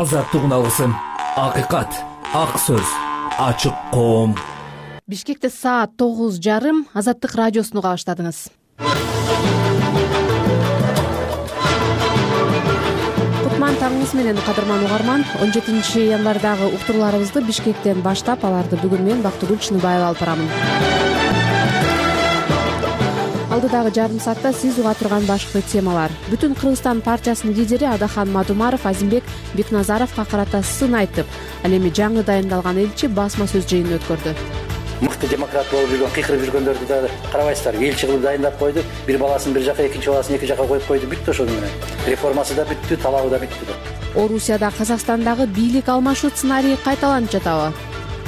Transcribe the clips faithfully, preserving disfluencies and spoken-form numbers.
азаттык уналысын. Акыйкат, ак сөз, ачык коом. Бишкекте саат тогуз жарым. Азаттык радиосуну кабаштадыңыз. Кутман таңыңыз менен, кадырман угарман. он жетинчи январдагы уктурууларыбызды Бишкектен баштап, аларды бүгүн мен Бактыгүл Чыныбаева алып барамын. Алдыдагы жарым саатта сиз уга турган башкы темалар. Бүтүн Кыргызстан партиясынын лидери Адахан Мадумаров Азимбек Бекназаровго карата сын айтып, ал эми жаңы дайындалган элчи басма сөз жыйынын өткөрдү. Мыкты демократ болуп жүргөн, кыйкырып жүргөндөрдү да карабайсыздар. Элчи кылып дайындап койду, бир баласын бир жака, экинчи баласын эки жака коюп койду. Бүттү ошону менен. Реформасы да бүттү, талабы да бүттү. Орусияда Казакстандагы бийлик алмашуу сценарийи кайталанып жатабы?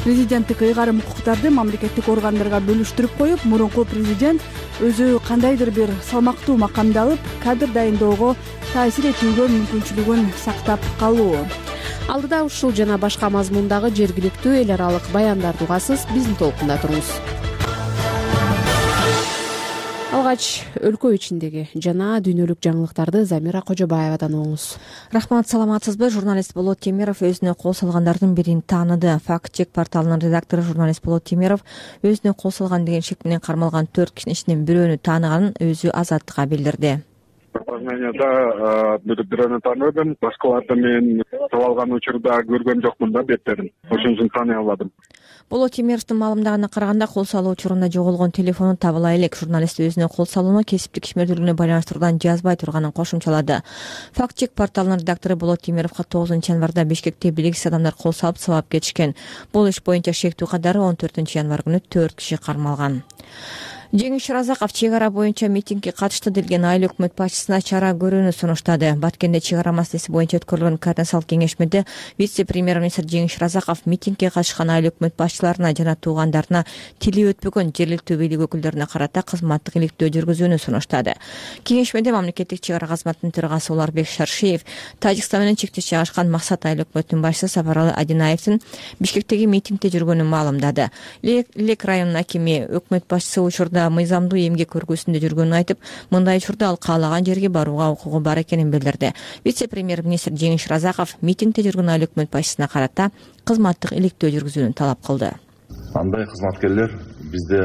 Президенттик ыйгарым укуктарды мамлекеттик органдарга бөлүштүрүп коюп, мурунку президент өзү кандайдыр бир салмактуу макамды алып, кадр дайындоого таасир этүүгө мүмкүнчүлүгүн сактап калуу. Алдыда ушул жана башка мазмундагы жергиликтүү эл аралык баяндарды угасыз, биздин толкунда туруңуз. Алгач өлкө ичиндеги жана дүйнөлүк жаңылыктарды Замира Кожобаевадан угуңуз. Рахмат, саламатсызбы? Журналист Болот Темиров өзүнө кол салгандардын бирин тааныды. Факт чек порталынын редактору журналист Болот Темиров өзүнө кол салган деген шек менен кармалган төрт кишинин ичинен бирөөнү тааныганын өзү Азаттыкка билдирди. Опознанияда бирөөнү тааныдым, башкаларды мен талалган учурда көргөн жокмун да беттерин. Ошон үчүн тааный албадым. Болот Темировдун маалымдагына караганда, кол салуу учурунда жоголгон телефону табыла элек. Журналист өзүнө кол салууну кесиптик ишмердүүлүгүнө байланыштыруудан жазбай турганын кошумчалады. Факт чек порталынын редактору Болот Темировго тогузунчу январда Бишкекте белгисиз адамдар кол салып сабап кетишкен. Бул иш боюнча шектүү катары он төртүнчү январ күнү төрт киши кармалган. Жеңиш Разаков чек ара боюнча митингге катышты делген айыл өкмөт башчысына чара көрүүнү сунуштады. Баткенде чек ара маселеси боюнча өткөрүлгөн координациялык кеңешмеде вице-премьер-министр Жеңиш Разаков митингге катышкан айыл өкмөт башчыларына жана туугандарына тили өтпөгөн жергиликтүү бийлик өкүлдөрүнө карата кызматтык иликтөө жүргүзүүнү сунуштады. Кеңешмеде мамлекеттик чек ара кызматынын төрагасы Уларбек Шаршиев, Тажикстан менен чектеш жайгашкан Максат айыл өкмөтүнүн башчысы Сапаралы Адинаевдин Бишкектеги митингде жүргөнүн маалымдады. Лек районунун акими өкмөт башчысы учурда мыйзамдуу эмгек көргөсүндө жүргөнүн айтып, мындай учурда ал каалаган жерге барууга укугу бар экенин билдирди. Вице-премьер-министр Жеңиш Разаков митингде жүргөн айыл өкмөт башчысына карата кызматтык иликтөө жүргүзүүнү талап кылды. Андай кызматкерлер бизде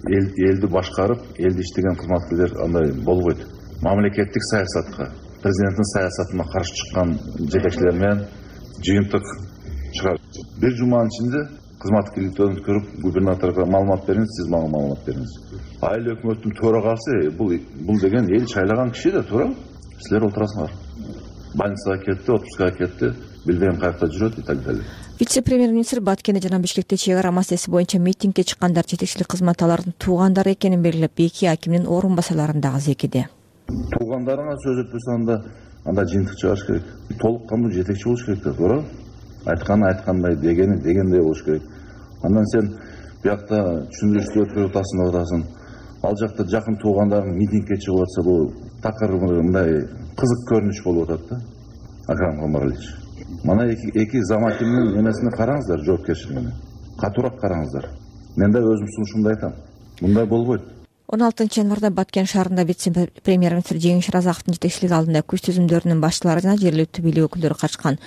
элди башкарып, элди иштеген кызматкерлер андай болбойт. Мамлекеттик саясатка, президенттин саясатына каршы чыккан жетекчилер менен жыйынтык чыгар. Бир жуманын ичинде кызматтык иликтөөдөн көрүп, губернаторго маалымат бериңиз, сиз мага маалымат бериңиз. Айыл өкмөттүн төрагасы бул бул деген эл шайлаган киши да, туура. Силер отурасыңар. Больницага кетти, отпускага кетти, билбейм каякта жүрөт и так далее. Вице-премьер-министр Баткенде жана Бишкекте чек ара маселеси боюнча митингге чыккандар жетекчилик кызмат алардын туугандары экенин белгилеп, эки акимдин орун басарларын дагы зекиди. Туугандарына сөз өтпөсө анда анда жыйынтык чыгарыш керек. Толук кандуу жетекчи болуш керек да, туура. Айтканы айткандай, дегени дегендей болуш керек. Андан сен биякта түшүндүрүштү өткөрүп атасың деп атасың. Ал жакта жакын туугандарың митингге чыгып атса, бул такыр мындай кызык көрүнүш болуп атат да. Акрам Комаралич. Мана эки эки заматимдин эмесине караңыздар, жоопкерчилигине. Катуураак караңыздар. Мен да өзүм сунушумду айтам. Мындай болбойт. он алтынчы январда Баткен шаарында вице-премьер-министр Жеңиш Разаковдун жетекчилиги алдында күч түзүмдөрүнүн башчылары жана жергиликтүү бийлик өкүлдөрү катышкан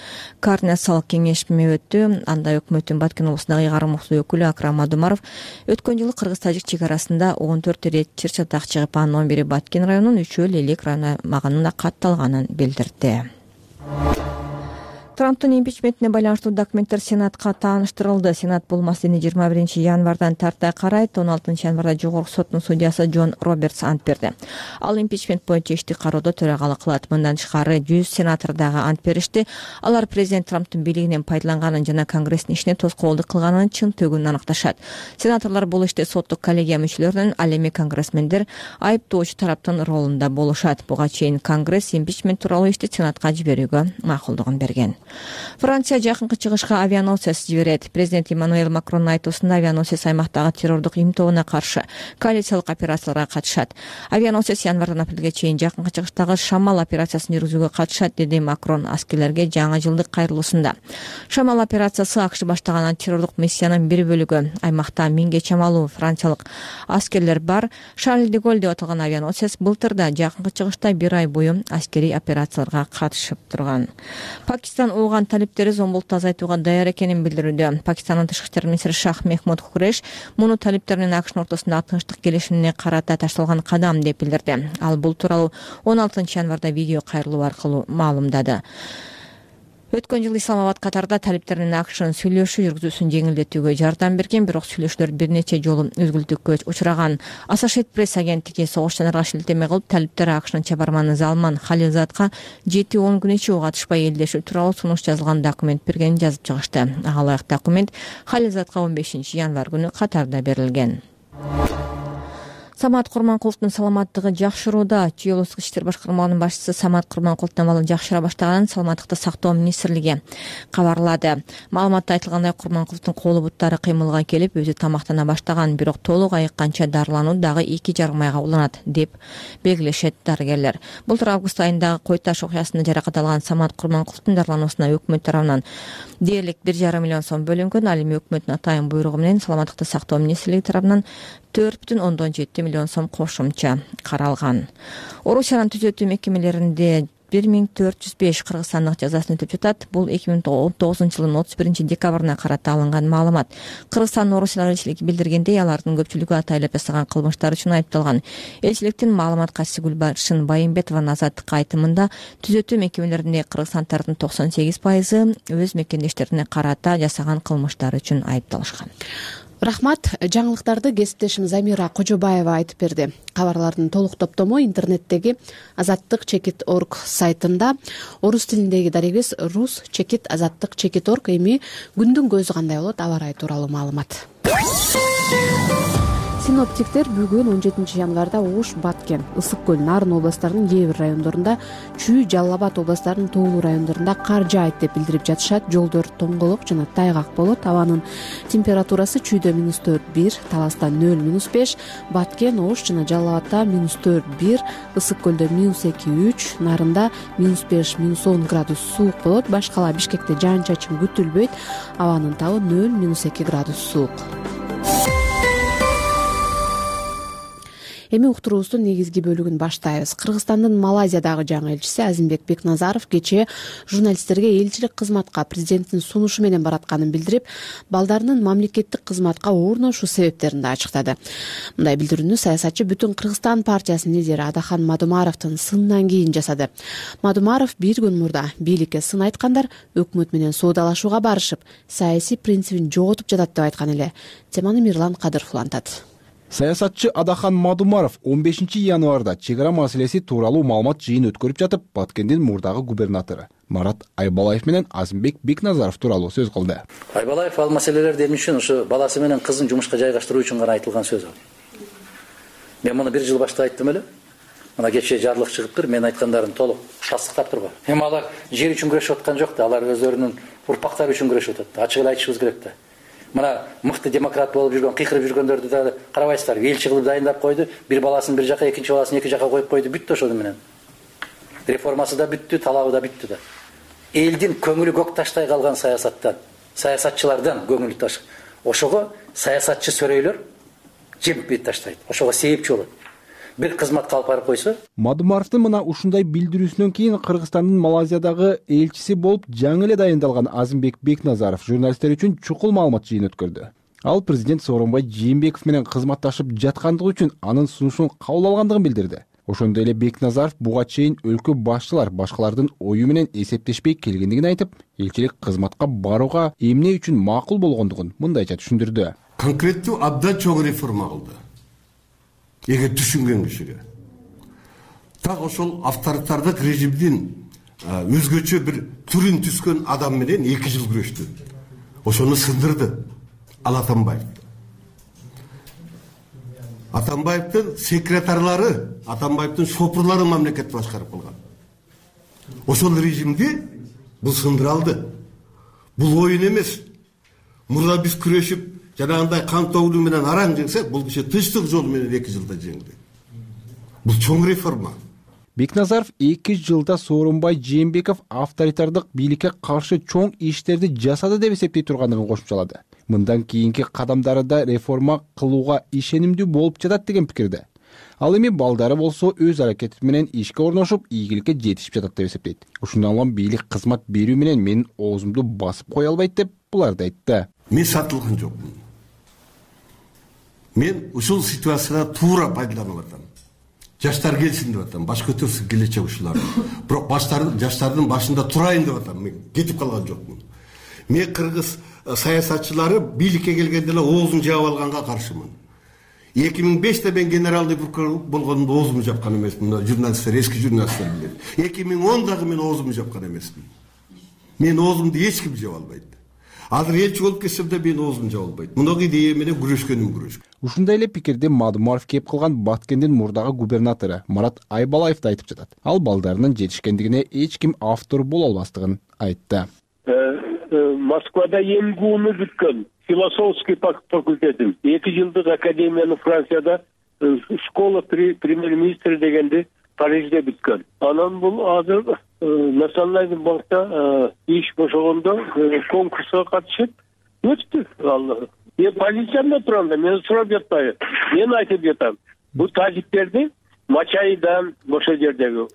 координациялык кеңешме өттү. Анда өкмөттүн Баткен облусундагы ыйгарым укуктуу өкүлү Акрам Мадумаров өткөн жылы кыргыз-тажик чек арасында он төрт рет чыр чатак чыгып, анын он бири Баткен районунун, үчөө Лелек району аймагында катталганын билдирди. Трамптын импичментине байланыштуу документтер Сенатка тааныштырылды. Сенат бул маселени жыйырма биринчи январдан тарта карайт. он алтынчы январда жогорку соттун судьясы Джон Робертс ант берди. Ал импичмент боюнча ишти кароодо төрагалык кылат. Мындан тышкары жүз сенатор дагы ант беришти. Алар президент Трамптын бийлигинен пайдаланганын жана Конгресстин ишине тоскоолдук кылганын чын төгүнүн аныкташат. Сенаторлор бул иште соттук коллегия мүчөлөрүнүн, ал эми конгрессмендер айыптоочу тараптын ролунда болушат. Буга чейин Конгресс импичмент тууралуу ишти Сенатка жиберүүгө макулдугун берген. Франция жакынкы чыгышка авианосец жиберет. Президент Эммануэль Макрондун айтуусунда авианосец аймактагы террордук имтоонуна каршы коалициялык операцияларга катышат. Авианосец январдан апрелге чейин жакынкы чыгыштагы Шамал операциясын жүргүзүүгө катышат, деди Макрон аскерлерге жаңы жылдык кайрылуусунда. Шамал операциясы АКШ баштаган антитеррордук миссиянын бир бөлүгү. Аймакта миңге чамалуу франциялык аскерлер бар. Шарль де Голль деп аталган авианосец былтырда жакынкы чыгышта бир ай бою аскерий операцияларга катышып турган. Пакистан ууган талиптери зомбулукту азайтууга даяр экенин билдирүүдө. Пакистандын тышкы иштер министри Шах Мехмуд Куреш муну талиптер менен АКШнын ортосундагы тынчтык келишимине карата ташталган кадам деп билдирди. Ал бул тууралуу он алтынчы январда видео кайрылуу аркылуу маалымдады. Өткөн жылы Исламабад Катарда талиптер менен АКШнын сүйлөшүү жүргүзүүсүн жеңилдетүүгө жардам берген, бирок сүйлөшүүлөр бир нече жолу үзгүлтүккө учураган. Associated Press агенттиги согуштанарга шилтеме кылып, талиптер АКШнын чабарманы Залман Халилзадка жети он күн ичи ого катышпай элдешүү тууралуу сунуш жазылган документ бергенин жазып чыгышты. Ага ылайык документ Халилзадка он бешинчи январь күнү Катарда берилген. Самат Курманкуловдун саламаттыгы жакшырууда. Чүй облустук иштер башкармаларынын башчысы Самат Курманкуловдун абалы жакшыра баштаганын Саламаттыкты сактоо министрлиги кабарлады. Маалыматта айтылгандай, Курманкуловдун колу буттары кыймылга келип, өзү тамактана баштаган, бирок толук айыкканча дарылануу дагы эки жарым айга уланат деп белгилешет дарыгерлер. Былтыр август айындагы Кой Таш окуясында жаракат алган Самат Курманкуловдун дарылануусуна өкмөт тарабынан дээрлик бир жарым миллион сом бөлүнгөн. Ал эми өкмөттүн атайын буйругу менен Саламаттыкты сактоо министрлиги тарабынан төрт бүтүн ондон жети миллион сом кошумча каралган. Орусиянын түзөтүү мекемелеринде бир миң төрт жүз беш кыргызстандык жазасын өтөп жатат. Бул эки миң он тогузунчу жылдын отуз биринчи декабрына карата алынган маалымат. Кыргызстандын Орусияга элчилиги билдиргендей, алардын көпчүлүгү атайлап жасаган кылмыштар үчүн айыпталган. Элчиликтин маалымат катчысы Гүлбаршын Байымбетованын азаттыкка айтымында, түзөтүү мекемелеринде кыргызстандардын токсон сегиз пайызы өз мекендештерине карата жасаган кылмыштар үчүн айыпталышкан. Рахмат. Жаңылыктарды кесиптешим Замира Кожобаева айтып берди. Кабарлардын толук топтому интернеттеги азаттык чекит орг сайтында. Орус тилиндеги дарегиз рус чекит азаттык чекит орг. Эми күндүн көзү кандай болот? Аба ырайы тууралуу маалымат. Синоптиктер бүгүн он жетинчи январда Ош, Баткен, Ысык көл, Нарын областарынын кээ бир райондорунда, Чүй, Жалал Абад областарынын тоолуу райондорунда кар жаайт деп билдирип жатышат. Жолдор тоңголок жана тайгак болот. Абанын температурасы Чүйдө минус төрт бир, Таласта нөл минус беш, Баткен, Ош жана Жалал Абадта минус төрт бир, Ысык көлдө минус эки үч, Нарында минус беш минус он градус суук болот. Башкала Бишкекте жаан чачын күтүлбөйт. Абанын табы нөл минус эки градус суук. Эми уктуруубуздун негизги бөлүгүн баштайбыз. Кыргызстандын Малайзиядагы жаңы элчиси Азимбек Бекназаров кечээ журналисттерге элчилик кызматка президенттин сунушу менен баратканын билдирип, балдарынын мамлекеттик кызматка орношуу себептерин да ачыктады. Мындай билдирүүнү саясатчы Бүтүн Кыргызстан партиясынын лидери Адахан Мадумаровдун сынынан кийин жасады. Мадумаров бир күн мурда бийликке сын айткандар өкмөт менен соодалашууга барышып, саясий принцибин жоготуп жатат деп айткан эле. Теманы Мирлан Кадыров улантат. Саясатчы Адахан Мадумаров он бешинчи январда чек ара маселеси тууралуу маалымат жыйын өткөрүп жатып, Баткендин мурдагы губернатору Марат Айбалаев менен Азимбек Бекназаров тууралуу сөз кылды. Айбалаев ал маселелерди эмне үчүн ушу баласы менен кызын жумушка жайгаштыруу үчүн гана айтылган сөз ал. Мен муну бир жыл башта айттым эле. Мына кечээ жарлык чыгыптыр, мен айткандарын толук тастыктап турган. Эми алар жер үчүн күрөшүп аткан жок да, алар өздөрүнүн урпактары үчүн күрөшүп атат. Ачык эле айтышыбыз керек да. Мына мыкты демократ болуп жүргөн, кыйкырып жүргөндөрдү да карабайсыздар. Элчи кылып дайындап койду, бир баласын бир жака, экинчи баласын эки жака коюп койду, бүттү ошону менен. Реформасы да бүттү, талабы да бүттү да. Элдин көңүлү көк таштай калган саясаттан, саясатчылардан көңүлү таш. Ошого саясатчы сөрөйлөр жемип таштайт. Ошого себепчи болот. Бир кызматка алып барып койсо. Мадумаровдун мына ушундай билдирүүсүнөн кийин Кыргызстандын Малайзиядагы элчиси болуп жаңы эле дайындалган Азимбек Бекназаров журналисттер үчүн чукул маалымат жыйын өткөрдү. Ал президент Сооронбай Жээнбеков менен кызматташып жаткандыгы үчүн анын сунушун кабыл алгандыгын билдирди. Ошондой эле Бекназаров буга чейин өлкө башчылар башкалардын ою менен эсептешпей келгендигин айтып, элчилик кызматка барууга эмне үчүн макул болгондугун мындайча түшүндүрдү. Конкреттүү абдан чоң реформа кылды. Эгер түшүнгөн кишиге. Так ошол авторитардык режимдин өзгөчө бир түрүн түскөн адам менен эки жыл күрөштү. Ошону сындырды. Ал Атамбаев. Атамбаевдин секретарлары, Атамбаевдин шопурлары мамлекетти башкарып калган. Ошол режимди бул сындыра алды. Бул оюн эмес. Мурда биз күрөшүп жанагындай кан тогулуу менен араң жеңсек, бул киши тынчтык жолу менен эки жылда жеңди. Бул чоң реформа. Бекназаров эки жылда Сооронбай Жээнбеков авторитардык бийликке каршы чоң иштерди жасады деп эсептей тургандыгын кошумчалады. Мындан кийинки кадамдары да реформа кылууга ишенимдүү болуп жатат деген пикирде. Ал эми балдары болсо өз аракети менен ишке орношуп, ийгиликке жетишип жатат деп эсептейт. Ушундан улам бийлик кызмат берүү менен менин оозумду басып кое албайт деп буларды айтты. Мен сатылган жокмун. Мен ушул ситуацияда туура пайдаланып атам. Жаштар келсин деп атам, баш көтөрсүн келечек ушулар. Бирок баштардын жаштардын башында турайын деп атам. Мен кетип калган жокмун. Мен кыргыз саясатчылары бийликке келгенде эле оозун жаап алганга каршымын. эки миң беште мен генералдый прокурор болгондо оозумду жапкан эмесмин. Журналисттер, эски журналисттер билет. эки миң ондагы мен оозумду жапкан эмесмин. Мен оозумду эч ким жаап албайт. Азыр элчи болуп кетсем да мен оозумду жаап албайт. Мундай идея менен күрөшкөнүм күрөш. Ушундай эле пикирди Мадумаров кеп кылган Баткендин мурдагы губернатору Марат Айбалаев да айтып жатат. Ал балдарынын жетишкендигине эч ким автор боло албастыгын айтты. Москвада эмгууну бүткөн, философский факультетин, эки жылдык академияны Францияда школа премьер-министри дегенди Парижде бүткөн. Анан бул азыр Национальный банкта иш бошогондо конкурска катышып өттү. Ал мен позициямда турам да, мен сурап жатпайм. Мен айтып жатам. Бул тажиктерди Мачайдан, ошол жердеги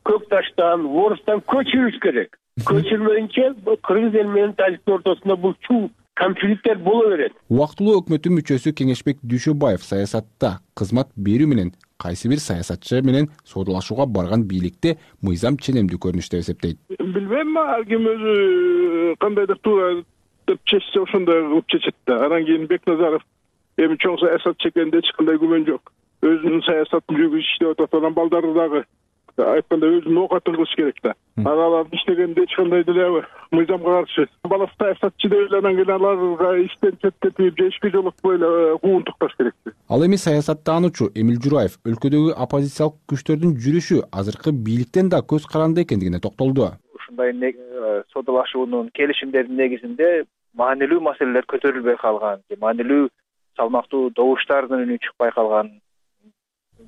Көкташтан, Орустан көчүрүш керек. Көчүрмөйүнчө кыргыз эл менен тажиктин ортосунда бул чуу конфликттер боло берет. Убактылуу өкмөттүн мүчөсү Кеңешбек Дүйшөбаев саясатта кызмат берүү менен кайсы бир саясатчы менен соодалашууга барган бийликте мыйзам ченемдүү көрүнүш деп эсептейт. Билбейм, ар ким өзү кандайдыр туура деп чечсе ошондой кылып чечет да. Анан кийин Бекназаров эми чоң саясатчы экенинде эч кандай күмөн жок. Өзүнүн саясатын жүргүзүп иштеп атат. Анан балдары дагы айтканда өзүнүн оокатын кылыш керек да. Алар иштегенде эч кандай деле мыйзамга каршы. Баласы саясатчы деп эле анан кийин аларга иштен четтетип же ишке жолотпой эле кууун тукташ керек. Ал эми саясаттануучу Эмил Жураев өлкөдөгү оппозициялык күчтөрдүн жүрүшү азыркы бийликтен да көз каранды экендигине токтолду. Ушундай соодалашуунун, келишимдердин негизинде маанилүү маселелер көтөрүлбөй калган, маанилүү салмактуу добуштардын үнү чыкпай калган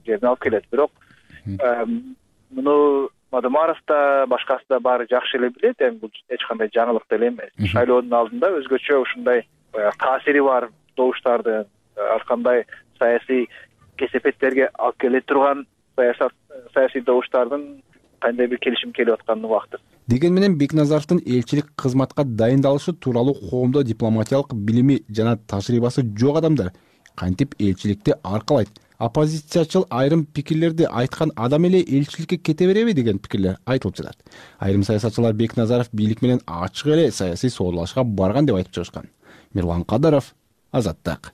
жерине алып келет. Бирок муну Мадумаров да, башкасы да баары жакшы эле билет, эми бул эч кандай жаңылык деле эмес. Шайлоонун алдында өзгөчө ушундай таасири бар добуштардын, ар кандай саясий кесепеттерге алып келе турган саясат саясий добуштардын кандай бир келишим келип атканын убактыр. Деген менен Бекназаровдун элчилик кызматка дайындалышы тууралуу коомдо дипломатиялык билими жана тажрыйбасы жок адамдар кантип элчиликти аркалайт? Оппозициячыл айрым пикирлерди айткан адам эле элчиликке кете береби деген пикирлер айтылып жатат. Айрым саясатчылар Бекназаров бийлик менен ачык эле саясий соодалашка барган деп айтып чыгышкан. Мирлан Кадыров, Азаттык.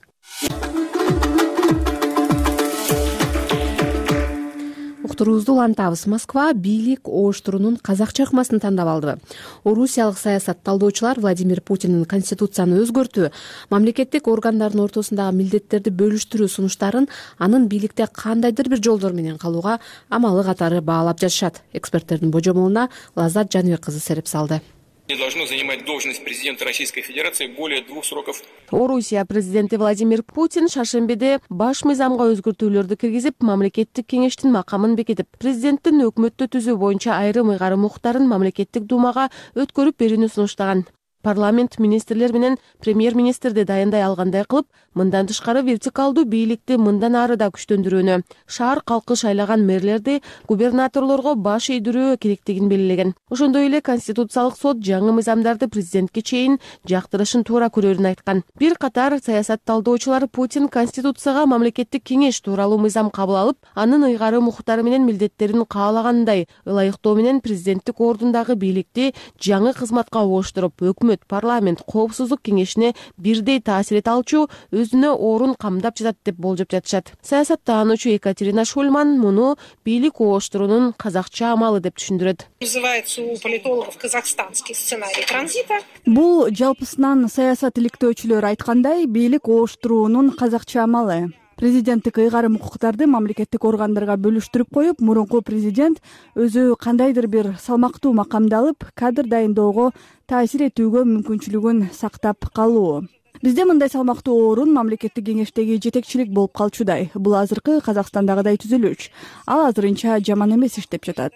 Уктуруубузду улантабыз. Москва бийлик ооштуруунун казакча ыкмасын тандап алды. Орусиялык саясат талдоочулар Владимир Путиндин конституцияны өзгөртүү, мамлекеттик органдардын ортосундагы милдеттерди бөлүштүрүү сунуштарын анын бийликте кандайдыр бир жолдор менен калууга амалы катары баалап жатышат. Эксперттердин божомолуна Лаззат Жаныбек кызы сереп салды. Не должно занимать должность президента Российской Федерации более двух сроков. Орусия президенти Владимир Путин шаршембиде баш мыйзамга өзгөртүүлөрдү киргизип, мамлекеттик кеңештин макамын бекитип, президенттин өкмөттү түзүү боюнча айрым ыйгарым укуктарын мамлекеттик думага өткөрүп берүүнү сунуштаган. Парламент министрлер менен премьер-министрди дайындай алгандай кылып, мындан тышкары вертикалдуу бийликти мындан ары да күчтөндүрүүнү, шаар калкы шайлаган мэрлерди губернаторлорго баш ийдирүү керектигин белгилеген. Ошондой эле Конституциялык сот жаңы мыйзамдарды президентке чейин жактырышын туура көрөрүн айткан. Бир катар саясат талдоочулар Путин Конституцияга мамлекеттик кеңеш тууралуу мыйзам кабыл алып, анын ыйгарым укуктары менен милдеттерин каалагандай ылайыктоо менен президенттик ордундагы бийликти жаңы кызматка ооштуруп, өкмөт, парламент, коопсуздук кеңешине бирдей таасир эте алчу өзүнө орун камдап жатат деп болжоп жатышат. Саясаттануучу Екатерина Шульман муну бийлик ооштуруунун казакча амалы деп түшүндүрөт. Называется у политологов казахстанский сценарий транзита. Бул жалпысынан саясат иликтөөчүлөр айткандай бийлик ооштуруунун казакча амалы. Президенттик ыйгарым укуктарды мамлекеттик органдарга бөлүштүрүп коюп, мурунку президент өзү кандайдыр бир салмактуу макамды алып, кадр дайындоого таасир этүүгө мүмкүнчүлүгүн сактап калуу. Бизде мындай салмактуу орун мамлекеттик кеңештеги жетекчилик болуп калчудай. Бул азыркы Казакстандагыдай түзүлүш. Ал азырынча жаман эмес иштеп жатат.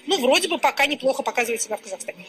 Ну, вроде бы пока неплохо показывает себя в Казахстане.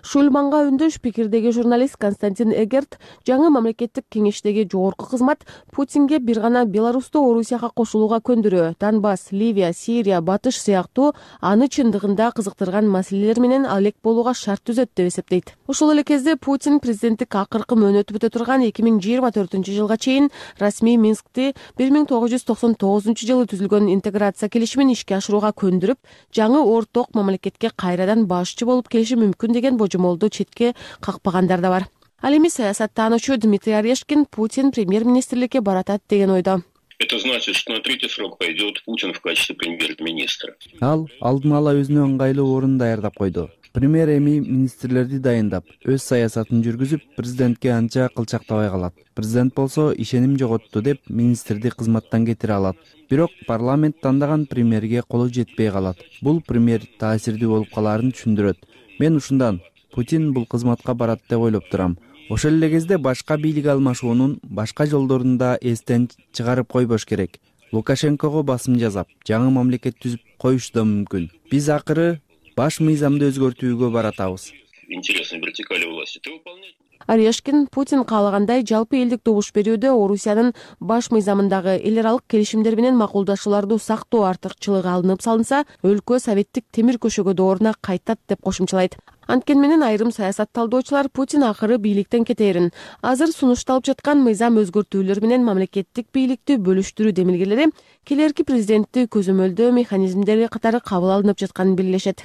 Шульманга үндөш пикирдеги журналист Константин Эгерт жаңы мамлекеттик кеңештеги жогорку кызмат Путинге бир гана Беларусьту Орусияга кошулууга көндүрүү, Донбасс, Ливия, Сирия, Батыш сыяктуу аны чындыгында кызыктырган маселелер менен алек болууга шарт түзөт деп эсептейт. Ошол эле кезде Путин президенттик акыркы мөөнөтү бүтө турган эки миң жыйырма төртүнчү жылга чейин расмий Минскти бир миң тогуз жүз токсон тогузунчу жылы түзүлгөн интеграция келишимин ишке ашырууга көндүрүп, жаңы орток мамлекетке кайрадан башчы болуп келиши мүмкүн деген божомолду четке какпагандар да бар. Ал эми саясаттануучу Дмитрий Орешкин Путин премьер-министрликке баратат деген ойдо. Это значит, что на третий срок пойдет Путин в качестве премьер-министра. Ал алдын ала өзүнө ыңгайлуу орун даярдап койду. Премьер эми министрлерди дайындап, өз саясатын жүргүзүп, президентке анча кылчактабай калат. Президент болсо ишеним жоготту деп министрди кызматтан кетире алат. Бирок парламент тандаган премьерге колу жетпей калат. Бул премьер таасирдүү болуп калаарын түшүндүрөт. Мен ушундан Путин бул кызматка барат деп ойлоп турам. Ошол эле кезде башка бийлик алмашуунун башка жолдорун да эстен чыгарып койбош керек. Лукашенкого басым жасап, жаңы мамлекет түзүп коюшу да мүмкүн. Биз акыры баш мыйзамды өзгөртүүгө баратабыз. Интересной вертикали власти. Ты выполняешь? Орешкин Путин каалагандай жалпы элдик добуш берүүдө Орусиянын баш мыйзамындагы эл аралык келишимдер менен макулдашууларды сактоо артыкчылыгы алынып салынса, өлкө советтик темир көшөгө дооруна кайтат деп кошумчалайт. Анткени менен айрым саясат талдоочулар Путин акыры бийликтен кетээрин, азыр сунушталып жаткан мыйзам өзгөртүүлөр менен мамлекеттик бийликти бөлүштүрүү демилгелери келерки президентти көзөмөлдөө механизмдери катары кабыл алынып жатканын белгилешет.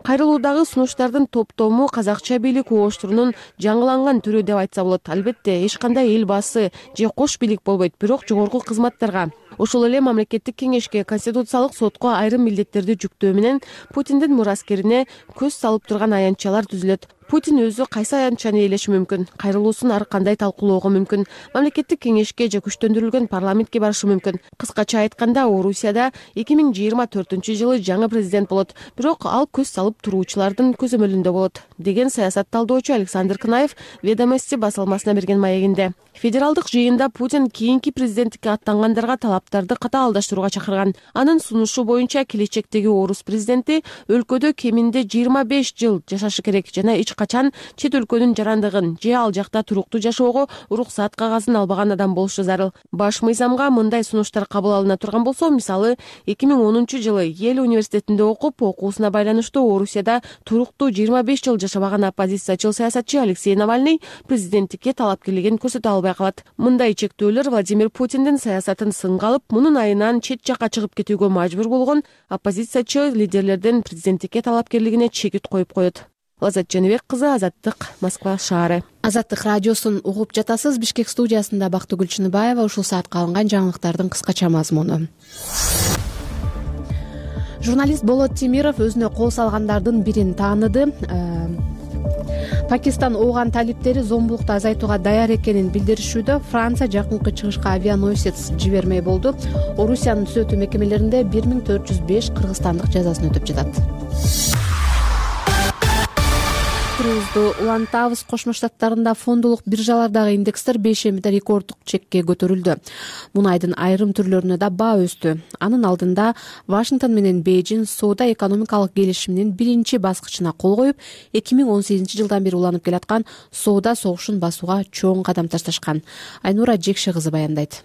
Кайрылуудагы сунуштардын топтому казакча бийлик угуштурунун жаңыланган түрү деп айтса болот. Албетте, эч кандай эл баасы же кош бийлик болбойт, бирок жогорку кызматтарга, ошол эле мамлекеттик кеңешке, конституциялык сотко айрым милдеттерди жүктөө менен Путиндин мураскерине көз салып турган аянтчалар түзүлөт. Путин өзү кайсы аянтчаны ээлеши мүмкүн, кайрылуусун ар кандай талкуулоого мүмкүн, мамлекеттик кеңешке же күчтөндүрүлгөн парламентке барышы мүмкүн. Кыскача айтканда, Орусияда эки миң жыйырма төртүнчү жылы жаңы президент болот, бирок ал көз салып туруучулардын көзөмөлүндө болот, деген саясат талдоочу Александр Кынаев Ведомости басылмасына берген маегинде. Федералдык жыйында Путин кийинки президенттикке аттангандарга талаптарды катаалдаштырууга чакырган. Анын сунушу боюнча келечектеги орус президенти өлкөдө кеминде жыйырма беш жыл жашашы керек жана эч качан чет өлкөнүн жарандыгын же ал жакта туруктуу жашоого уруксаат кагазын албаган адам болушу зарыл. Баш мыйзамга мындай сунуштар кабыл алына турган болсо, мисалы эки миң онунчу жылы Йель университетинде окуп, окуусуна байланыштуу Орусияда туруктуу жыйырма беш жыл жашабаган оппозициячыл саясатчы Алексей Навальный президенттикке талапкерлигин көрсөтө албай калат. Мындай чектөөлөр Владимир Путиндин саясатын сынга алып, мунун айынан чет жакка чыгып кетүүгө мажбур болгон оппозициячы лидерлердин президенттикке талапкерлигине чекит коюп коет. Лазат Жаныбек кызы, Азаттык, Москва шаары. Азаттык радиосун угуп жатасыз. Бишкек студиясында Бактыгүл Чыныбаева. Ушул саатка алынган жаңылыктардын кыскача мазмуну. Журналист Болот Темиров өзүнө кол салгандардын бирин тааныды. Пакистан ооган талиптери зомбулукту азайтууга даяр экенин билдиришүүдө. Франция жакынкы чыгышка авианосец жибермей болду. Орусиянын түзөтүү мекемелеринде бир миң төрт жүз беш кыргызстандык жазасын өтөп жатат. Улантабыз. Кошмо Штаттарында фондулук биржалардагы индекстер бейшембиде рекорддук чекке көтөрүлдү. Мунайдын айрым түрлөрүнө да баа өстү. Анын алдында Вашингтон менен Бейжин соода экономикалык келишиминин биринчи баскычына кол коюп, эки миң он сегизинчи жылдан бери уланып келаткан соода согушун басууга чоң кадам ташташкан. Айнура Жекше кызы баяндайт.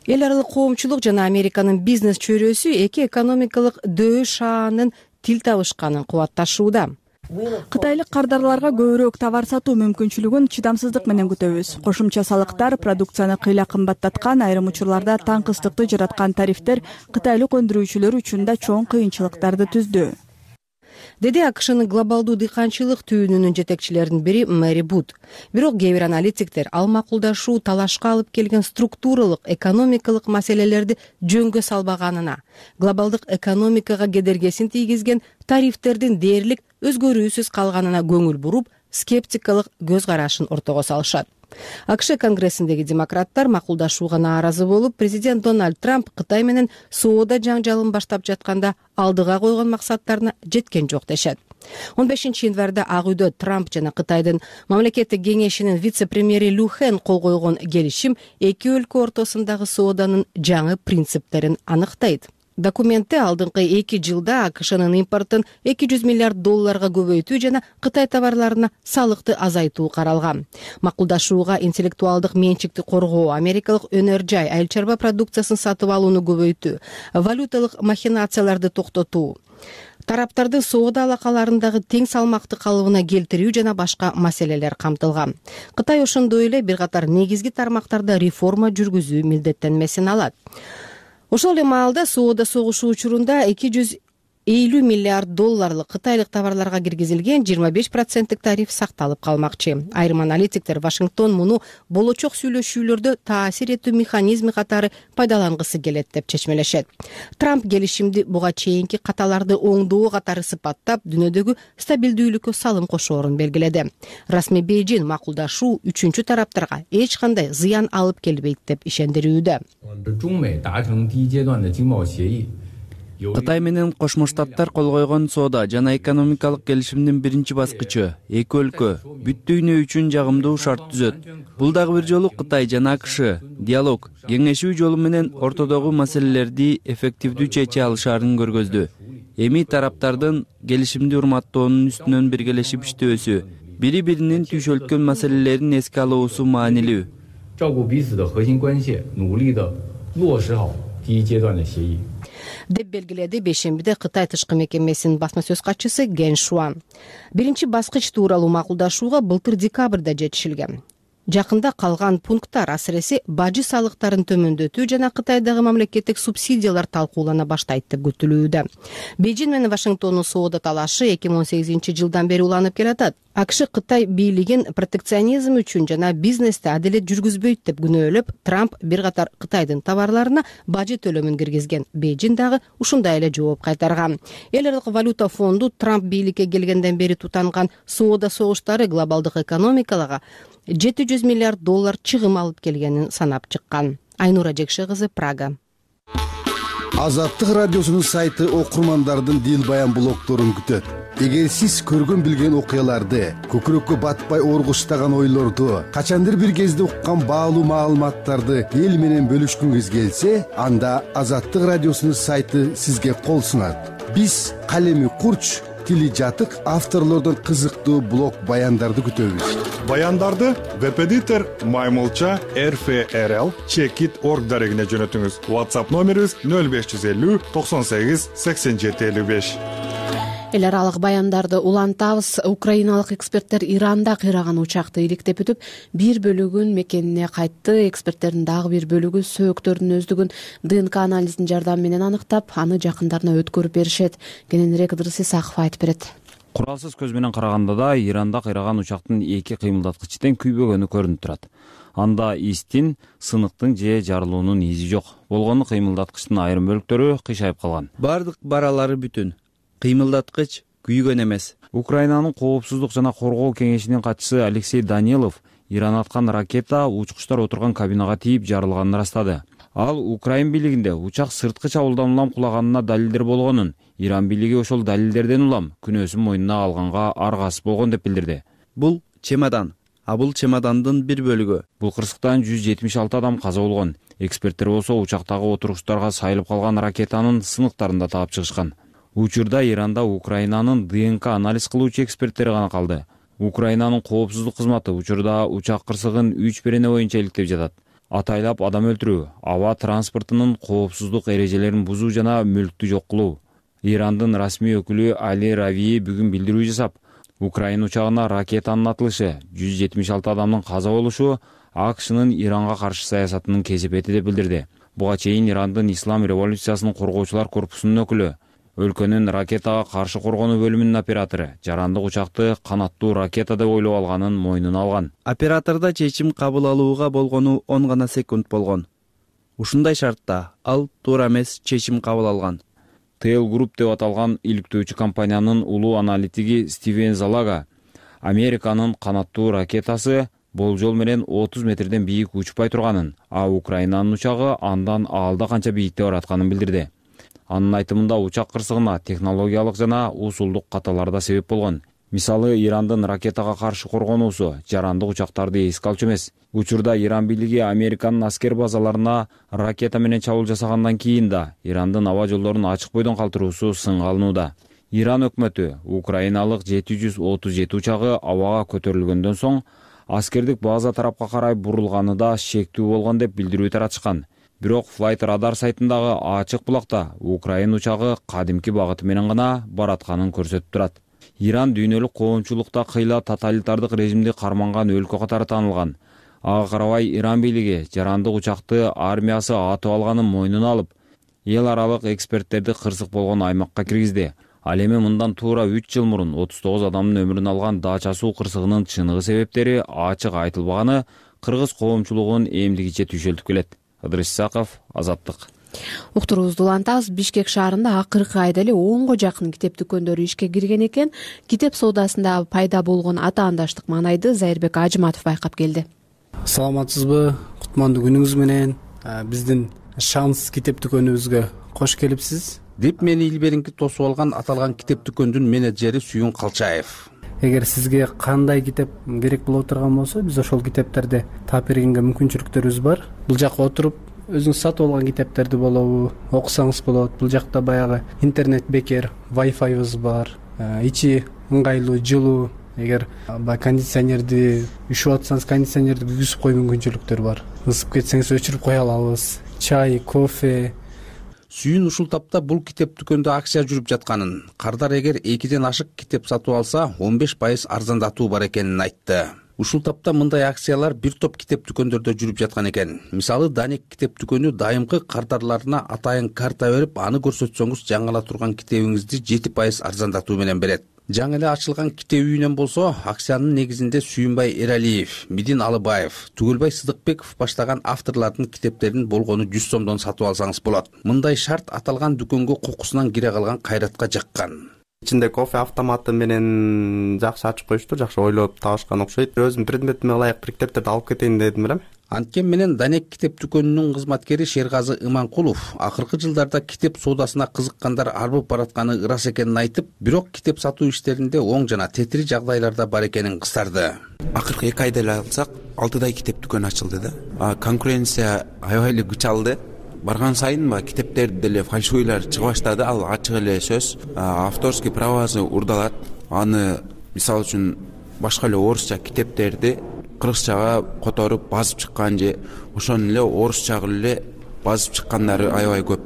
Эл аралык коомчулук жана Американын бизнес чөйрөсү эки экономикалык дөү шаанын тил табышканын кубатташууда. Кытайлык кардарларга көбүрөөк товар сатуу мүмкүнчүлүгүн чыдамсыздык менен күтөбүз. Кошумча салыктар кпродукцияны кыйла кымбаттаткан, айрым учурларда таңкыстыкты жараткан тарифтер кытайлык өндүрүүчүлөр үчүн да чоң кыйынчылыктарды түздү, деди АКШнын глобалдуу дыйканчылык түйүнүнүн жетекчилеринин бири Мэри Бут. Бирок кээ бир аналитиктер ал макулдашуу талашка алып келген структуралык экономикалык маселелерди жөнгө салбаганына, глобалдык экономикага кедергесин тийгизген тарифтердин дээрлик өзгөрүүсүз калганына көңүл буруп, скептикалык көз карашын ортого салышат. АКШ конгрессиндеги демократтар макулдашууга нааразы болуп, президент Дональд Трамп Кытай менен соода жаңжалын баштап жатканда алдыга койгон максаттарына жеткен жок дешет. он бешинчи январда Ак үйдө Трамп жана Кытайдын мамлекеттик кеңешинин вице-премьери Лю Хэн кол койгон келишим эки өлкө ортосундагы сооданын жаңы принциптерин аныктайт. Документте алдыңкы эки жылда АКШнын импортун эки жүз миллиард долларга көбөйтүү жана Кытай товарларына салыкты азайтуу каралган. Макулдашууга интеллектуалдык менчикти коргоо, америкалык өнөр жай, айыл чарба продукциясын сатып алууну көбөйтүү, валюталык махинацияларды токтотуу, тараптардын соода алакаларындагы тең салмакты калыбына келтирүү жана башка маселелер камтылган. Кытай ошондой эле бир катар негизги тармактарда реформа жүргүзүү милдеттенмесин алат. Ошол эле маалда соода согушу учурунда эки жүз элүү миллиард долларлык кытайлык товарларга киргизилген жыйырма беш проценттик тариф сакталып калмакчы. Айрым аналитиктер Вашингтон муну болочок сүйлөшүүлөрдө таасир этүү механизми катары пайдалангысы келет деп чечмелешет. Трамп келишимди буга чейинки каталарды оңдоо катары сыпаттап, дүйнөдөгү стабилдүүлүккө салым кошоорун белгиледи. Расмий Бейжин макулдашуу үчүнчү тараптарга эч кандай зыян алып келбейт деп ишендирүүдө. Кытай менен Кошмо Штаттар кол койгон соода жана экономикалык келишимдин биринчи баскычы эки өлкө бүт дүйнө үчүн жагымдуу шарт түзөт. Бул дагы бир жолу Кытай жана АКШ диалог, кеңешүү жолу менен ортодогу маселелерди эффективдүү чече алышаарын көргөздү. Эми тараптардын келишимди урматтоонун үстүнөн биргелешип иштөөсү, бири-биринин түйшөлткөн маселелерин эске алуусу маанилүү. деп белгиледи бейшембиде Кытай тышкы мекемесинин басма сөз катчысы Ген Шуан. Биринчи баскыч тууралуу макулдашууга былтыр декабрда жетишилген. Жакында калган пункттар, асыресе бажы салыктарын төмөндөтүү жана Кытайдагы мамлекеттик субсидиялар талкуулана баштайт деп күтүлүүдө. Бейжин менен Вашингтондун соода талашы эки миң он сегизинчи жылдан бери уланып келатат. АКШ Кытай бийлигин протекционизм үчүн жана бизнести адилет жүргүзбөйт деп күнөөлөп, Трамп бир катар Кытайдын товарларына бажы төлөмүн киргизген. Бейжин дагы ушундай эле жооп кайтарган. Эл аралык валюта фонду Трамп бийликке келгенден бери тутанган соода согуштары глобалдык экономикаларга жети жүз миллиард доллар чыгым алып келгенин санап чыккан. Айнура Жекше кызы, Прага. Азаттык радиосунун сайты окурмандардын дил баян блогторун күтөт. Эгер сиз көргөн билген окуяларды, көкүрөккө батпай оргуштаган ойлорду, качандыр бир кезде уккан баалуу маалыматтарды эл менен бөлүшкүңүз келсе, анда Азаттык радиосунун сайты сизге кол сунат. Биз калеми курч, тили жатык авторлордон кызыктуу блог баяндарды күтөбүз. Баяндарды веб-эдитор Маймылча эр эф эр эл чекит точка орг дарегине жөнөтүңүз. WhatsApp номерибиз нөл беш жүз элүү токсон сегиз сексен жети элүү беш. Эл аралык баяндарды улантабыз. Украиналык эксперттер Иранда кыйраган учакты иликтеп өтүп, бир бөлүгүн мекенине кайтты. Эксперттердин дагы бир бөлүгү сөөктөрдүн өздүгүн ДНК анализинин жардамы менен аныктап, аны жакындарына өткөрүп беришет. Кененирээк Ыдырыс Исаков айтып берет. Куралсыз көз менен караганда да Иранда кыйраган учактын эки кыймылдаткычы тең күйбөгөнү көрүнүп турат. Анда истин, сыныктын же жарылуунун изи жок. Болгону кыймылдаткычтын айрым бөлүктөрү кыйшайып калган. Бардык баралары бүтүн. Кыймылдаткыч күйгөн эмес. Украинанын коопсуздук жана коргоо кеңешинин катчысы Алексей Данилов Иран аткан ракета учкучтар отурган кабинага тийип жарылганын ырастады. Ал Украин бийлигинде учак сырткы чабуулдан улам кулаганына далилдер болгонун, Иран бийлиги ошол далилдерден улам күнөөсүн мойнуна алганга аргасыз болгон деп билдирди. Бул чемодан, а бул чемодандын бир бөлүгү. Бул кырсыктан жүз жетимиш алты адам каза болгон. Эксперттер болсо учактагы отургучтарга сайылып калган ракетанын сыныктарын да таап чыгышкан. Учурда Иранда Украинанын ДНК анализ кылуучу эксперттери гана калды. Украинанын коопсуздук кызматы учурда учак кырсыгын үч берене боюнча иликтеп жатат. Атайлап адам өлтүрүү, аба транспортунун коопсуздук эрежелерин бузуу жана мүлктү жок кылуу. Ирандын расмий өкүлү Али Равии бүгүн билдирүү жасап, Украина учагына ракетанын атылышы, жүз жетимиш алты адамдын каза болушу АКШнын Иранга каршы саясатынын кесепети деп билдирди. Буга чейин Ирандын Ислам революциясынын коргоочулар корпусунун өкүлү, өлкөнүн ракетага каршы коргонуу бөлүмүнүн оператору жарандык учакты канаттуу ракета деп ойлоп алганын мойнуна алган. Оператордо чечим кабыл алууга болгону он гана секунд болгон. Ушундай шартта ал туура эмес чечим кабыл алган. Тейл Group деп аталган иликтөөчү компаниянын улуу аналитиги Стивен Залага Американын канаттуу ракетасы болжол менен отуз метрден бийик учпай турганын, а Украинанын учагы андан аалда канча бийикте баратканын билдирди. Анын айтымында учак кырсыгына технологиялык жана усулдук каталар да себеп болгон. Мисалы, Ирандын ракетага каршы коргонуусу жарандык учактарды эске алчу эмес. Учурда Иран бийлиги Американын аскер базаларына ракета менен чабуул жасагандан кийин да Ирандын аба жолдорун ачык бойдон калтыруусу сынга алынууда. Иран өкмөтү украиналык жети жүз отуз жети учагы абага көтөрүлгөндөн соң аскердик база тарапка карай бурулганы да шектүү болгон деп билдирүү таратышкан. Бирок Flight Radar сайтындагы ачык булакта Украин учагы кадимки багыты менен гана баратканын көрсөтүп турат. Иран дүйнөлүк коомчулукта кыйла тоталитардык режимди карманган өлкө катары таанылган. Ага карабай Иран бийлиги жарандык учакты армиясы атып алганын мойнуна алып, эл аралык эксперттерди кырсык болгон аймакка киргизди. Ал эми мындан туура үч жыл мурун отуз тогуз адамдын өмүрүн алган Дача суу кырсыгынын чыныгы себептери ачык айтылбаганы кыргыз коомчулугунун эмдигиче түйшөлтүп келет. Ыдырыс Исаков, Азаттык. Уктуруубузду улантабыз. Бишкек шаарында акыркы айда эле онго жакын китеп дүкөндөрү ишке кирген экен. Китеп соодасында пайда болгон атаандаштык маанайды Зайырбек Ажыматов байкап келди. Саламатсызбы? Кутмандуу күнүңүз менен биздин Шанс китеп дүкөнүбүзгө кош келипсиз деп мени илберинки тосуп алган аталган китеп дүкөндүн менеджери Сүйүн Калчаев. Эгер сизге кандай китеп керек болуп турган болсо, биз ошол китептерди таап бергенге мүмкүнчүлүктөрүбүз бар. Бул жакка отуруп өзүңүз сатып алган китептерди болобу, окусаңыз болот. Бул жакта баягы интернет бекер, Wi-Fi'быз бар, ичи ыңгайлуу, жылуу. Эгер баягы кондиционерди үшүп атсаңыз, кондиционерди күйгүзүп кое мүмкүнчүлүктөр бар. Ысып кетсеңиз өчүрүп кое алабыз. Чай, кофе. Сүйүн ушул тапта бул китеп дүкөндө акция жүрүп жатканын, кардар эгер экиден ашык китеп сатып алса он беш пайыз арзандатуу бар экенин айтты. Ушул тапта мындай акциялар бир топ китеп дүкөндөрдө жүрүп жаткан экен. Мисалы, Даник китеп дүкөнү дайымкы кардарларына атайын карта берип, аны көрсөтсөңүз жаңыла турган китебиңизди жети пайыз арзандатуу менен берет. Жаңы эле ачылган китеп үйүнөн болсо, акциянын негизинде Сүйүнбай Эралиев, Мидин Алыбаев, Түгөлбай Сыдыкбеков баштаган авторлордун китептерин болгону жүз сомдон сатып алсаңыз болот. Мындай шарт аталган дүкөнгө кокусунан кире калган кайратка жаккан. Ичинде кофе автоматы менен жакшы ачып коюшту, жакшы ойлоп табышкан окшойт. Өзүм предметиме ылайык бир китептерди алып кетейин дедим элем. Анткен менен Данек китеп дүкөнүнүн кызматкери Шергазы Иманкулов акыркы жылдарда китеп соодасына кызыккандар арбып баратканы ырас экенин айтып, бирок китеп сатуу иштеринде оң жана тетири жагдайларда бар экенин кыстарды. Акыркы эки айда эле алсак, алтыдай китеп дүкөн ачылды да. Конкуренция аябай эле күч алды. Барган сайын ба китептерди деле фальшивыйлар чыга баштады. Ал ачык эле сөз. Авторский правасы урдалат. Аны мисалы үчүн башка эле орусча китептерди кыргызчага которуп базып чыккан же ошону эле орусчага эле базып чыккандары аябай көп.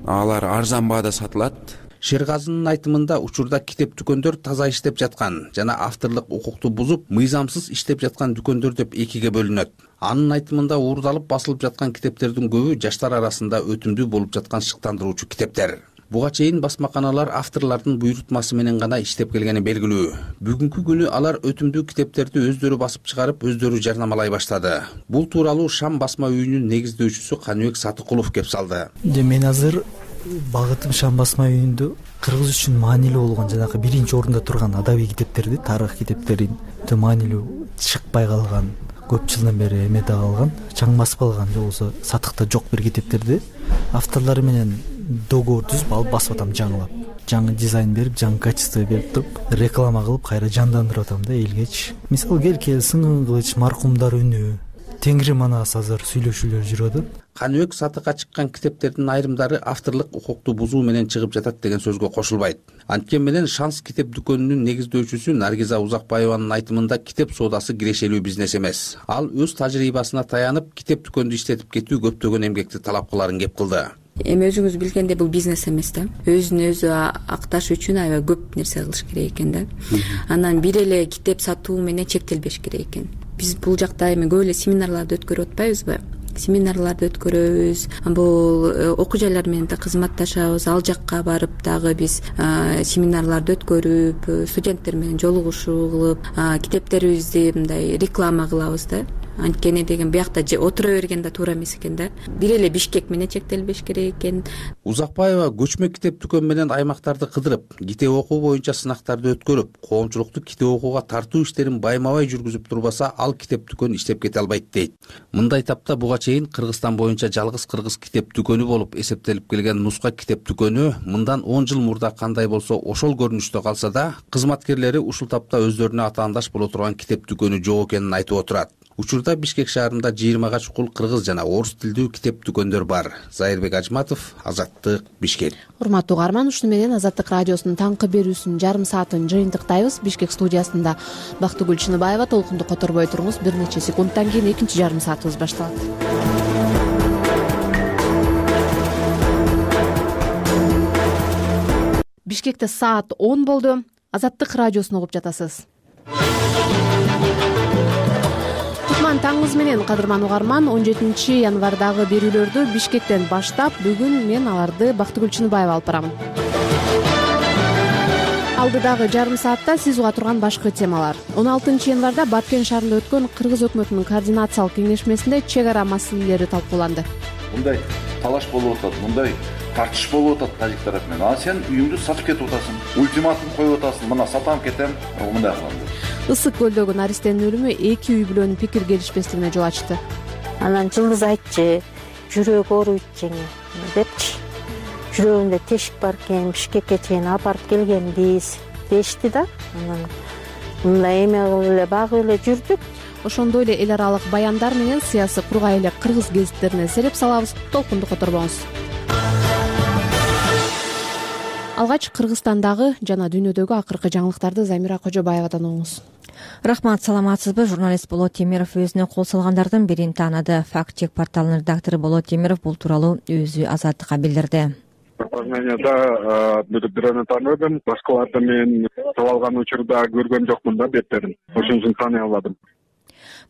Алар арзан баада сатылат. Шергазынын айтымында учурда китеп дүкөндөр таза иштеп жаткан жана авторлук укукту бузуп, мыйзамсыз иштеп жаткан дүкөндөр деп экиге бөлүнөт. Анын айтымында уурдалып басылып жаткан китептердин көбү жаштар арасында өтүмдүү болуп жаткан шыктандыруучу китептер. Буга чейин басмаканалар авторлордун буйрутмасы менен гана иштеп келгени белгилүү. Бүгүнкү күнү алар өтүмдүү китептерди өздөрү басып чыгарып, өздөрү жарнамалай баштады. Бул тууралуу Шам басма үйүнүн негиздөөчүсү Каныбек Сатыкулов кеп салды. Мен азыр багытым Шам басма үйүндө кыргыз үчүн маанилүү болгон жанагы биринчи орунда турган адабий китептерди, тарых китептерин өтө маанилүү чыкпай калган, көп жылдан бери эмете калган, чаң басып калган же болбосо сатыкта жок бир китептерди авторлору менен договор түзүп алып басып атам жаңылап. Жаңы дизайн берип, жаңы качество берип туруп, реклама кылып, кайра жандандырып атам да элгечи. Мисалы, Келкел, Сыңгын Кылыч, Маркумдар үнү, Теңири манас азыр сүйлөшүүлөр жүрүп атат. Каныбек сатыкка чыккан китептердин айрымдары авторлук укукту бузуу менен чыгып жатат деген сөзгө кошулбайт. Анткени менен Шанс китеп дүкөнүнүн негиздөөчүсү Наргиза Узакбаеванын айтымында китеп соодасы кирешелүү бизнес эмес. Ал өз тажрыйбасына таянып, китеп дүкөндү иштетип кетүү көптөгөн эмгекти талап кыларын кеп кылды. Эми өзүңүз билгендей бул бизнес эмес да. Өзүн өзү акташ үчүн аябай көп нерсе кылыш керек экен да. Анан бир эле китеп сатуу менен чектелбеш керек экен. Биз бул жакта эми көп эле семинарларды өткөрүп атпайбызбы? Семинарларды өткөрөбүз. Бул окуу жайлар менен да кызматташабыз. Ал жакка барып дагы биз семинарларды өткөрүп, студенттер менен жолугушуу кылып, китептерибизди мындай реклама кылабыз да. анткени деген биякта отура берген да туура эмес экен да. Бир эле Бишкек менен чектелбеш керек экен. Узакбаева көчмө китеп дүкөн менен аймактарды кыдырып, китеп окуу боюнча сынактарды өткөрүп, коомчулукту китеп окууга тартуу иштерин байма-бай жүргүзүп турбаса, ал китеп дүкөн иштеп кете албайт дейт. Мындай тапта буга чейин Кыргызстан боюнча жалгыз кыргыз китеп дүкөнү болуп эсептелип келген Нуска китеп дүкөнү мындан он жыл мурда кандай болсо ошол көрүнүштө калса да, кызматкерлери ушул тапта өздөрүнө атаандаш боло турган китеп дүкөнү жок экенин айтып отурат. Учурда Бишкек шаарында жыйырмага чукул кыргыз жана орус тилдүү китеп дүкөндөр бар. Зайырбек Ажматов, Азаттык, Бишкек. Урматтуу угарман, ушуну менен Азаттык радиосунун таңкы берүүсүнүн жарым саатын жыйынтыктайбыз. Бишкек студиясында Бактыгүл Чыныбаева, толкунду которбой туруңуз. Бир нече секундтан кийин экинчи жарым саатыбыз башталат. Бишкекте саат он болду. Азаттык радиосун угуп жатасыз. Таңыңыз менен, кадырман угарман, он жетинчи январдагы берүүлөрдү Бишкектен баштап, бүгүн мен аларды Бактыгүл Чыныбаева алып барам. Алдыдагы жарым саатта сиз уга турган башкы темалар. он алтынчы январда Баткен шаарында өткөн Кыргыз өкмөтүнүн координациялык кеңешмесинде чек ара маселелери талкууланды. Мындай талаш болуп атат, мындай тартыш болуп атат тажик тарап менен. А сен үйүңдү сатып кетип атасың, ультиматум коюп атасың, мына сатам кетем, мындай кылам. Ысык көлдөгү Наристенин өлүмү эки үй бүлөнүн пикир келишпестигине жол ачты. Анан Жылдыз айтчы, жүрөгү ооруйт жеңи депчи. Жүрөгүндө тешик бар экен, Бишкекке чейин апарып келгенбиз дешти да. Анан мындай эме кылып эле багып эле жүрдүк. Ошондой эле эл аралык баяндар менен сыясы кургай эле кыргыз гезиттерине сереп салабыз. Толкунду которбоңуз. Алгач Кыргызстандагы жана дүйнөдөгү акыркы жаңылыктарды Замира Кожобаевадан угуңуз. Рахмат, саламатсызбы? Журналист Болот Темиров өзүнө кол салгандардын бирин таанады. Факт-чек порталынын редактору Болот Темиров бул тууралуу өзү Азаттыкка билдирди. Познанияда бирөөнү тааныдым, башкаларды мен таап алган учурда көргөн жокмун да беттерин. Ошон үчүн тааный албадым.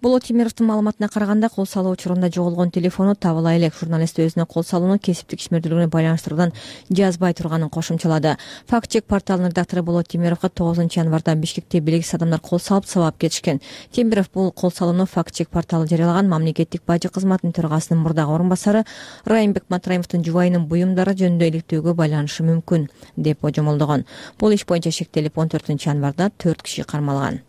Болот Темировдун маалыматына караганда, кол салуу учурунда жоголгон телефону табыла элек. Журналист өзүнө кол салууну кесиптик ишмердүүлүгүнө байланыштыруудан жазбай турганын кошумчалады. Факт-чек порталынын редактору Болот Темировго тогузунчу январда Бишкекте белгисиз адамдар кол салып сабап кетишкен. Темиров бул кол салууну Факт-чек порталы жарыялаган мамлекеттик бажы кызматынын төрагасынын мурдагы орун басары Райымбек Матраимовдун жубайынын буюмдары жөнүндө иликтөөгө байланышы мүмкүн деп божомолдогон. Бул иш боюнча шектелип он төртүнчү январда төрт киши кармалган.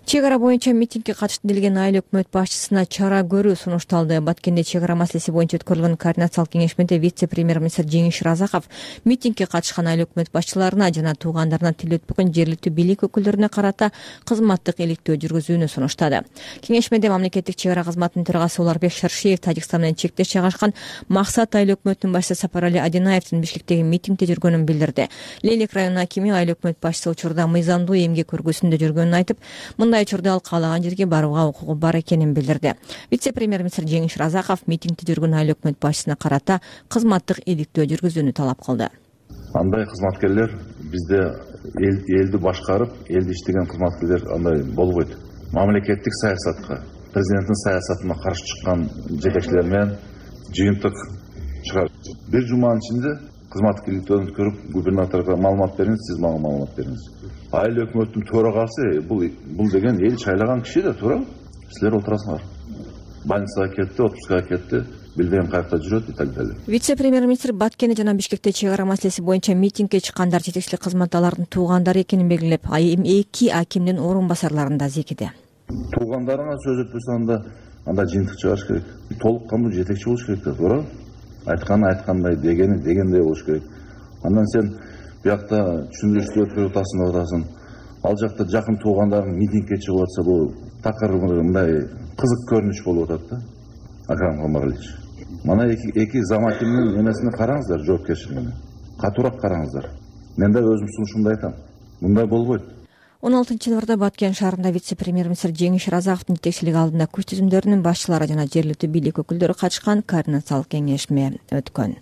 Чек ара боюнча митингге катыштым делген айыл өкмөт башчысына чара көрүү сунушталды. Баткенде чек ара маселеси боюнча өткөрүлгөн координациялык кеңешмеде вице-премьер-министр Жеңиш Разаков митингге катышкан айыл өкмөт башчыларына жана туугандарына тил өтпөгөн жергиликтүү бийлик өкүлдөрүнө карата кызматтык иликтөө жүргүзүүнү сунуштады. Кеңешмеде мамлекеттик чек ара кызматынын төрагасы Уларбек Шаршиев Тажикстан менен чектеш жайгашкан Максат айыл өкмөтүнүн башчысы Сапарали Адинаевдин Бишкектеги митингде жүргөнүн билдирди. Лейлек районунун акими айыл өкмөт башчысы учурда мыйзамдуу эмгек көргөсүндө жүргөнүн айтып, мындай учурда ал каалаган жерге барууга укугу бар экенин билдирди. Вице-премьер-министр Жеңиш Разаков митингде жүргөн айыл өкмөт башчысына карата кызматтык иликтөө жүргүзүүнү талап кылды. Андай кызматкерлер бизде элди башкарып, элди иштеген кызматкерлер андай болбойт. Мамлекеттик саясатка, президенттин саясатына каршы чыккан жетекчилер менен жыйынтык чыгарып, бир жуманын ичинде кызматтык иликтөөдөн өткөрүп, губернаторго маалымат бериңиз, сиз мага маалымат бериңиз. Айыл өкмөттүн төрагасы бул бул деген эл шайлаган киши да, туура? Силер отурасыңар. Больницага кетти, отпускага кетти, билбейм каякта жүрөт и так далее. Вице-премьер-министр Баткенде жана Бишкекте чек ара маселеси боюнча митингге чыккандар жетекчилик кызматта алардын туугандары экенин белгилеп, эки акимдин орун басарларын да зекиди. Туугандарыңа сөз өтпөсө анда анда жыйынтык чыгарыш керек. Толук кандуу жетекчи болуш керек да, туура? Айтканы айткандай, дегени дегендей болуш керек. Андан сен биякта түшүндүрүштү өткөрүп атасың, атасың. Ал жакта жакын туугандарың митингге чыгып атса, бул такыр мындай кызык көрүнүш болуп атат да. Акрам Камаралич. Мана эки эки замакимдин эмесине караңыздар, жоопкерчилигине. Катуураак караңыздар. Мен да өзүм сунушумду айтам. Мындай болбойт. он алтынчы январда Баткен шаарында вице-премьер-министр Жеңиш Разаковдун жетекчилиги алдында күч түзүмдөрүнүн башчылары жана жергиликтүү бийлик өкүлдөрү катышкан координациялык кеңешме өткөн.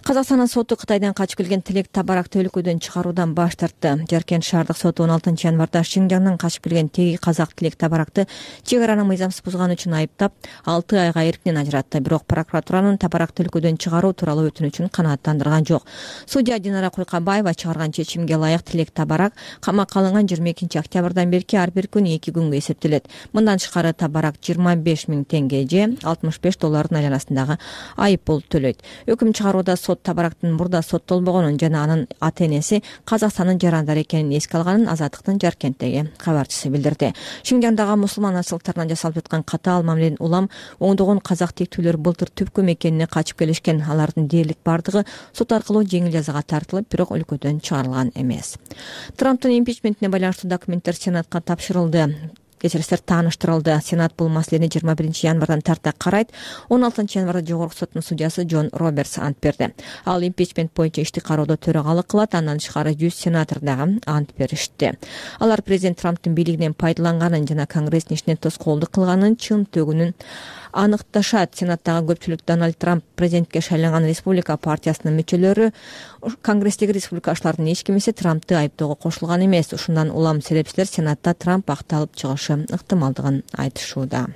Казакстандын соту Кытайдан качып келген Тилек Табаракты өлкөдөн чыгаруудан баш тартты. Жаркент шаардык соту он алтынчы январда Шинжаңдан качып келген теги казак Тилек Табаракты чек араны мыйзамсыз бузганы үчүн айыптап, алты айга эркинен ажыратты. Бирок прокуратуранын Табаракты өлкөдөн чыгаруу тууралуу өтүнүчүн канааттандырган жок. Судья Динара Куйкабаева чыгарган чечимге ылайык Тилек Табарак камакка алынган жыйырма экинчи октябрдан берки ар бир күн эки күнгө эсептелет. Мындан тышкары табарак жыйырма беш миң теңге же алтымыш беш доллардын айланасындагы айып пул төлөйт. Өкүм чыгарууда сот табарактын мурда соттолбогонун жана анын ата энеси Казакстандын жарандары экенин эске алганын Азаттыктын Жаркенттеги кабарчысы билдирди. Шинжаңдагы мусулман арчылыктарына жасалып жаткан катаал мамиленин улам оңдогон казак тектүүлөр былтыр түпкү мекенине качып келишкен. Алардын дээрлик бардыгы сот аркылуу жеңил жазага тартылып, бирок өлкөдөн чыгарылган эмес. Трамптын импичментине байланыштуу документтер Сенатка тапшырылды. Кечирисиңер тааныштырылды. Сенат бул маселени жыйырма биринчи январдан тарта карайт. он алтынчы январда жогорку соттун судьясы Джон Робертс ант берди. Ал импичмент боюнча ишти кароодо төрагалык кылат. Андан тышкары жүз сенатор дагы ант беришти. Алар президент Трамптын бийлигинен пайдаланганын жана Конгресстин ишине тоскоолдук кылганын чын төгүнүн аныкташат. Сенаттагы көпчүлүк Дональд Трамп президентке шайланган Республика партиясынын мүчөлөрү Конгресстеги республикачылардын эч кимиси Трампты айыптоого кошулган эмес. Ушундан улам серепчилер Сенатта Трамп акталып чыгышы ыктымалдыгын айтышууда.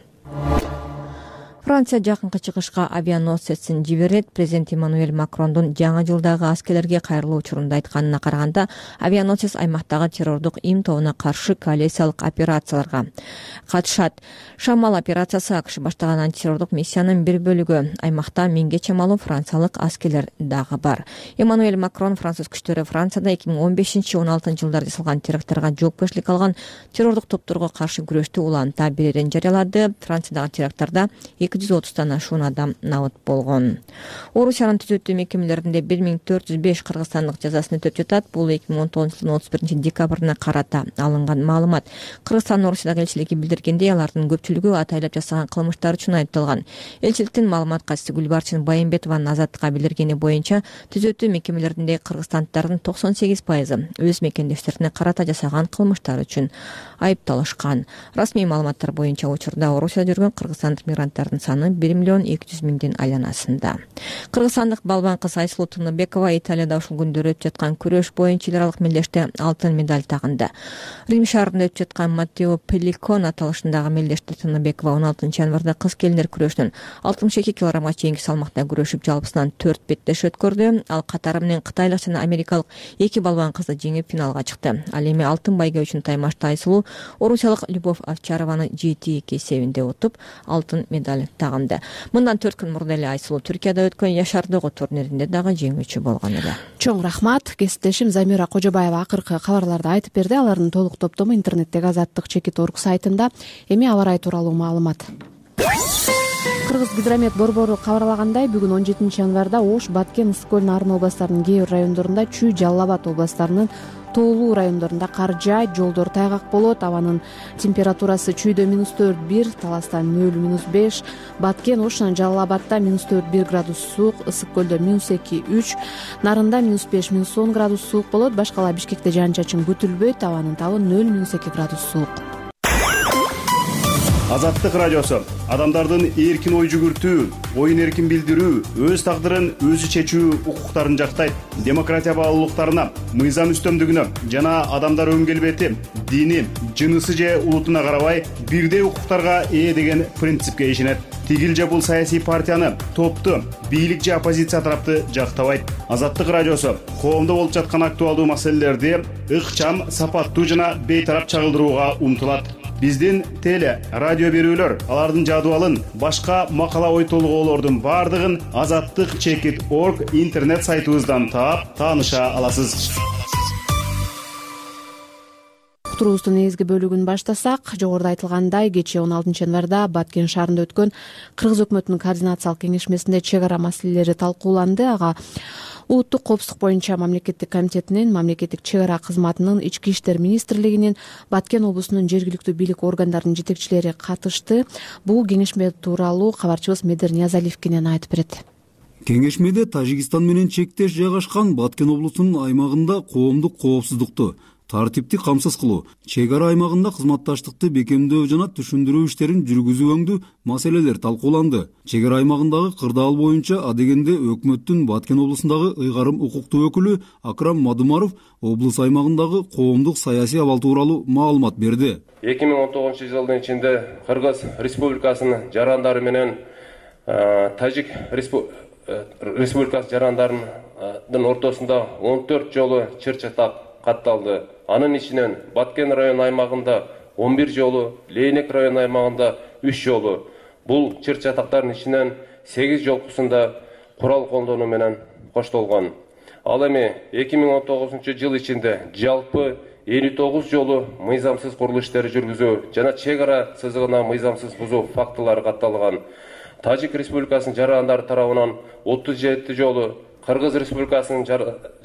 Франция жакынкы чыгышка авианосецин жиберет. Президент Эммануэль Макрондун жаңы жылдагы аскерлерге кайрылуу учурунда айтканына караганда, авианосец аймактагы террордук им тобуна каршы коалициялык операцияларга катышат. Шамал операциясы АКШ баштаган антитеррордук миссиянын бир бөлүгү. Аймакта миңге чамалуу франциялык аскерлер дагы бар. Эммануэль Макрон француз күчтөрү Францияда эки миң он бешинчи — он алтынчы жылдарда жасалган терактарга жоопкерчилик алган террордук топторго каршы күрөштү уланта берерин жарыялады. Франциядагы теракттарда эки жүз отуздан ашуун адам набыт болгон. Орусиянын түзөтүү мекемелеринде бир миң төрт жүз беш кыргызстандык жазасын өтөп жатат. Бул эки миң он тогузунчу жылдын отуз биринчи декабрына карата алынган маалымат. Кыргызстандын Орусиядагы элчилиги билдиргендей, алардын көпчүлүгү атайлап жасаган кылмыштар үчүн айыпталган. Элчиликтин маалымат катчысы Гүлбарчын Байымбетованын Азаттыкка билдиргени боюнча, түзөтүү мекемелеринде кыргызстандыктардын токсон сегиз пайызы өз мекендештерине карата жасаган кылмыштар үчүн айыпталышкан. Расмий маалыматтар боюнча учурда Орусияда жүргөн кыргызстандык мигранттардын саны бир миллион эки жүз миңдин айланасында. Кыргызстандык балбан кыз Айсулуу Тыныбекова Италияда ушул күндөрү өтүп жаткан күрөш боюнча эл аралык мелдеште алтын медаль тагынды. Рим шаарында өтүп жаткан Маттео Пелликон аталышындагы мелдеште Тыныбекова он алтынчы январда кыз келиндер күрөшүнүн алтымыш эки килограммга чейинки салмакта күрөшүп, жалпысынан төрт беттеш өткөрдү. Ал катары менен кытайлык жана америкалык эки балбан кызды жеңип финалга чыкты. Ал эми алтын байге үчүн таймашта Айсулуу орусиялык Любовь Овчарованы жети эки эсебинде утуп, алтын медаль тагынды. Мындан төрт күн мурда эле Айсулуу Түркияда өткөн Яшар Догу турниринде дагы жеңүүчү болгон эле. Чоң рахмат. Кесиптешим Замира Кожобаева акыркы кабарларды айтып берди. Алардын толук топтому интернеттеги азаттык чекит точка орг сайтында. Эми аба ырайы тууралуу маалымат. Кыргыз гидромет борбору кабарлагандай, бүгүн он жетинчи январда Ош, Баткен, Ысык көл, Нарын областарынын кээ бир райондорунда, Чүй, Жалал Абад областарынын тоолуу райондорунда кар жаайт, жолдор тайгак болот. Абанын температурасы Чүйдө минус төрт бир, Таластан нөл минус беш, Баткен, Ош жана Жалал Абадта минус төрт бир градус суук, Ысык көлдө минус эки үч, Нарында минус беш минус он градус суук болот. Башкала Бишкекте жаан чачын күтүлбөйт. Абанын табы нөл минус эки градус суук. Азаттык радиосу адамдардын эркин ой жүгүртүү, оюн эркин билдирүү, өз тагдырын өзү чечүү укуктарын жактайт. Демократия баалуулуктарына, мыйзам үстөмдүгүнө жана адамдар өн келбети, дини, жынысы же улутуна карабай бирдей укуктарга ээ деген принципке ишенет. Тигил же бул саясий партияны, топту, бийлик же оппозиция тарапты жактабайт. Азаттык радиосу коомдо болуп жаткан актуалдуу маселелерди ыкчам, сапаттуу жана бейтарап чагылдырууга умтулат. Биздин теле, радио берүүлөр, алардын жадыбалын, башка макала ой толгоолордун бардыгын азаттык чекит точка орг интернет сайтыбыздан таап, тааныша аласыз. Турубуздун негизги бөлүгүн баштасак, жогоруда айтылгандай, кечээ он алтынчы январда Баткен шаарында өткөн Кыргыз өкмөтүнүн координациялык кеңешмесинде чек ара маселелери талкууланды. Ага Улуттук коопсуздук боюнча мамлекеттик комитетинин, мамлекеттик чек ара кызматынын, Ички иштер министрлигинин, Баткен облусунун жергиликтүү бийлик органдарынын жетекчилери катышты. Бул кеңешме тууралуу кабарчыбыз Медер Ниязалиев кенен айтып берет. Кеңешмеде Тажикстан менен чектеш жайгашкан Баткен облусунун аймагында коомдук коопсуздукту, тартипти камсыз кылуу, чек ара аймагында кызматташтыкты бекемдөө жана түшүндүрүү иштерин жүргүзүү өңдүү маселелер талкууланды. Чек ара аймагындагы кырдаал боюнча адегенде өкмөттүн Баткен облусундагы ыйгарым укуктуу өкүлү Акрам Мадумаров облус аймагындагы коомдук саясий абал тууралуу маалымат берди. эки миң он тогузунчу жылдын ичинде Кыргыз Республикасынын жарандары менен Тажик Республикасы жарандарынын ортосунда он төрт жолу чыр чатак катталды. Анын ичинен Баткен район аймагында он бир жолу, Лейнек район аймагында үч жолу. Бул чыр чатактардын ичинен сегиз жолкусунда курал колдонуу менен коштолгон. Ал эми эки миң он тогузунчу жыл ичинде жалпы элүү тогуз жолу мыйзамсыз курулуш иштери жүргүзүү жана чек ара сызыгына мыйзамсыз бузуу фактылары катталган. Тажик Республикасынын жарандары тарабынан отуз жети жолу, Кыргыз Республикасынын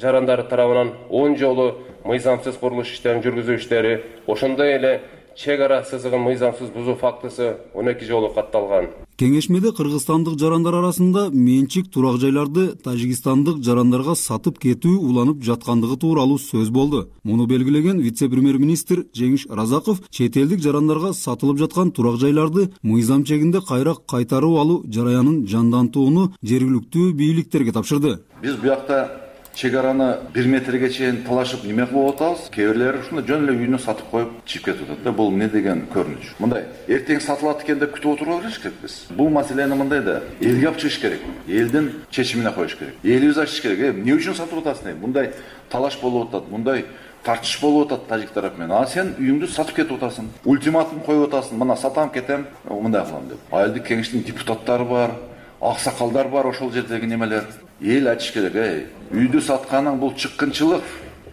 жарандары тарабынан он жолу мыйзамсыз курулуш иштерин жүргүзүү иштери, ошондой эле чек ара сызыгын мыйзамсыз бузуу фактысы он эки жолу катталган. Кеңешмеде кыргызстандык жарандар арасында менчик турак жайларды тажикстандык жарандарга сатып кетүү уланып жаткандыгы тууралуу сөз болду. Муну белгилеген вице-премьер-министр Жеңиш Разаков чет элдик жарандарга сатылып жаткан турак жайларды мыйзам чегинде кайра кайтарып алуу жараянын жандантууну жергиликтүү бийликтерге тапшырды. Биз буякта чек араны бир метрге чейин талашып неме кылып атабыз. Кээ бирлери ушунда жөн эле үйүнө сатып коюп чыгып кетип атат да. Бул эмне деген көрүнүш? Мындай эртең сатылат экен деп күтүп отура бериш керекпиз. Бул маселени мындай да элге алып чыгыш керек. Элдин чечимине коюш керек. Элибиз ачыш керек. Эмне үчүн сатып атасың? Мындай талаш болуп атат, мындай тартыш болуп атат тажик тарап менен. А сен үйүңдү сатып кетип атасың. Ультиматум коюп атасың. Мына сатам кетем, мындай кылам деп. Айылдык кеңештин депутаттары бар, аксакалдар бар, ошол жердеги немелер. Эл айтыш керек, эй, үйдү сатканың бул чыккынчылык,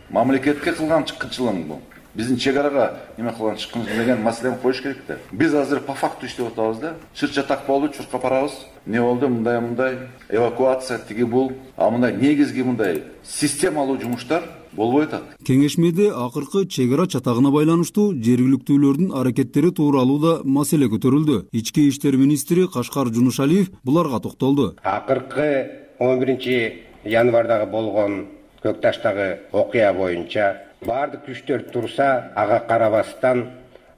мамлекетке кылган чыккынчылык бул. Биздин чек арага неме кылган чыккынчылык деген маселени коюш керек да. Биз азыр по факту иштеп атабыз да. Чыр чатак болду, чуркап барабыз. Не болду, мындай мындай эвакуация тиги бул, а мындай негизги мындай системалуу жумуштар болбой атат. Кеңешмеде акыркы чек ара чатагына байланыштуу жергиликтүүлөрдүн аракеттери тууралуу да маселе көтөрүлдү. Ички иштер министри Кашкар Жунушалиев буларга токтолду. Акыркы он биринчи январдагы болгон Көк Таштагы окуя боюнча баардык күчтөр турса, ага карабастан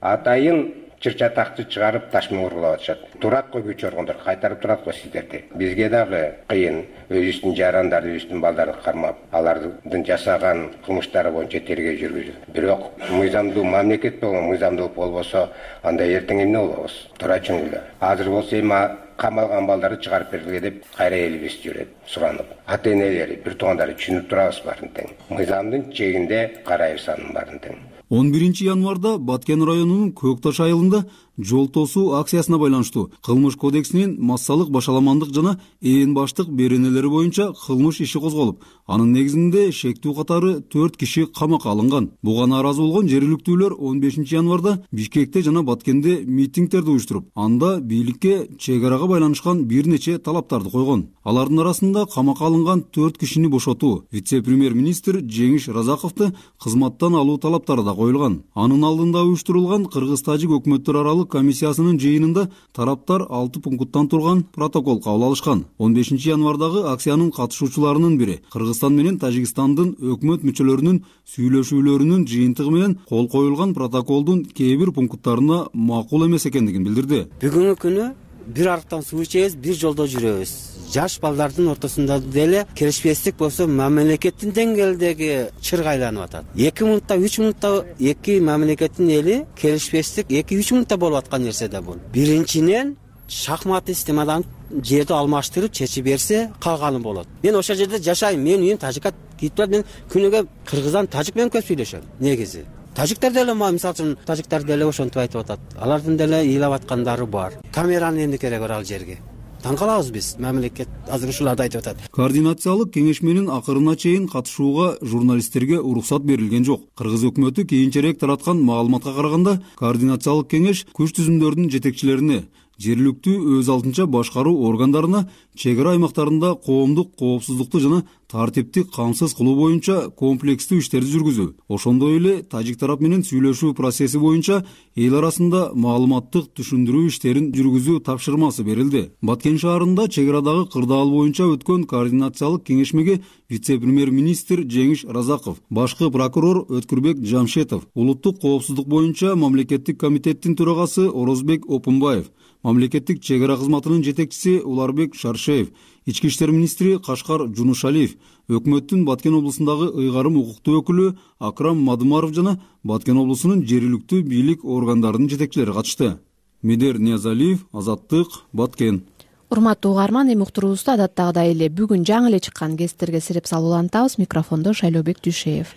атайын чыр чатакты чыгарып таш менен ургулап атышат. Турат го күч органдар, кайтарып турат го сиздерди. Бизге дагы кыйын, өзүбүздүн жарандарды, өзүбүздүн балдарды кармап, алардын жасаган кылмыштары боюнча тергөө жүргүзүп. Бирок мыйзамдуу мамлекет болгон мыйзамдуу болбосо, анда эртең эмне болобуз? Турачың эле. Азыр болсо эми камалган балдарды чыгарып бергиле деп кайра элибиз жүрөт суранып. Ата энелери, бир туугандары түшүнүп турабыз баарын тең. Мыйзамдын чегинде карайбыз анын баарын тең. он биринчи январда Баткен районунун Көк Таш айылында жол тосуу акциясына байланыштуу кылмыш кодексинин массалык башаламандык жана ээн баштык беренелери боюнча кылмыш иши козголуп, анын негизинде шектүү катары төрт киши камакка алынган. Буга нааразы болгон жергиликтүүлөр он бешинчи январда Бишкекте жана Баткенде митингдерди уюштуруп, анда бийликке чек арага байланышкан бир нече талаптарды койгон. Алардын арасында камакка алынган төрт кишини бошотуу, вице-премьер-министр Жеңиш Разаковду кызматтан алуу талаптары да коюлган. Анын алдында уюштурулган Кыргыз-Тажик өкмөттөр аралык комиссиясынын жыйынында тараптар алты пункттан турган протокол кабыл алышкан. он бешинчи январдагы акциянын катышуучуларынын бири Кыргызстан менен Тажикстандын өкмөт мүчөлөрүнүн сүйлөшүүлөрүнүн жыйынтыгы менен кол коюлган протоколдун кээ бир пункттарына макул эмес экендигин билдирди. Бүгүнкү күнү бир арыктан суу ичебиз, бир жолдо жүрөбүз. Жаш балдардын ортосунда деле келишпестик болсо мамлекеттин деңгээлдеги чырга айланып атат. эки минутта, үч минутта эки мамлекеттин эли келишпестик эки үч минутта болуп аткан нерсе да бул. Биринчиден шахмат системадан жерди алмаштырып чечип берсе, калганы болот. Мен ошол жерде жашайм, мен үйүм Тажикка кетип турат, мен күнүгө кыргыздан тажик менен көп сүйлөшөм. Негизи тажиктар деле, мисалы үчүн тажиктар деле ошентип ыйтып атат. Алардын деле ыйлап аткандары бар. Камеранын эмне кереги бар ал жерге? Таң калабыз биз, мамлекет азыр ушуларды айтып атат. Координациялык кеңешменин акырына чейин катышууга журналисттерге уруксат берилген жок. Кыргыз өкмөтү кийинчерээк тараткан маалыматка караганда, координациялык кеңеш күч түзүмдөрдүн жетекчилерине, жергиликтүү өз алдынча башкаруу органдарына чек ара аймактарында коомдук коопсуздукту жана тартипти камсыз кылуу боюнча комплекстүү иштерди жүргүзүү, ошондой эле тажик тарап менен сүйлөшүү процесси боюнча эл арасында маалыматтык түшүндүрүү иштерин жүргүзүү тапшырмасы берилди. Баткен шаарында чек арадагы кырдаал боюнча өткөн координациялык кеңешмеге вице-премьер-министр Жеңиш Разаков, башкы прокурор Өткүрбек Жамшетов, улуттук коопсуздук боюнча мамлекеттик комитеттин төрагасы Орозбек Опунбаев, мамлекеттик чек ара кызматынын жетекчиси Уларбек Шаршеев, ички иштер министри Кашкар Жунушалиев, өкмөттүн Баткен облусундагы ыйгарым укуктуу өкүлү Акрам Мадумаров жана Баткен облусунун жергиликтүү бийлик органдарынын жетекчилери катышты. Медер Ниязалиев, Азаттык, Баткен. Урматтуу угарман, эми уктуруубузду адаттагыдай эле бүгүн жаңы эле чыккан кесиптерге сирип салуулантабыз. Микрофондо Шайлообек Дүйшеев.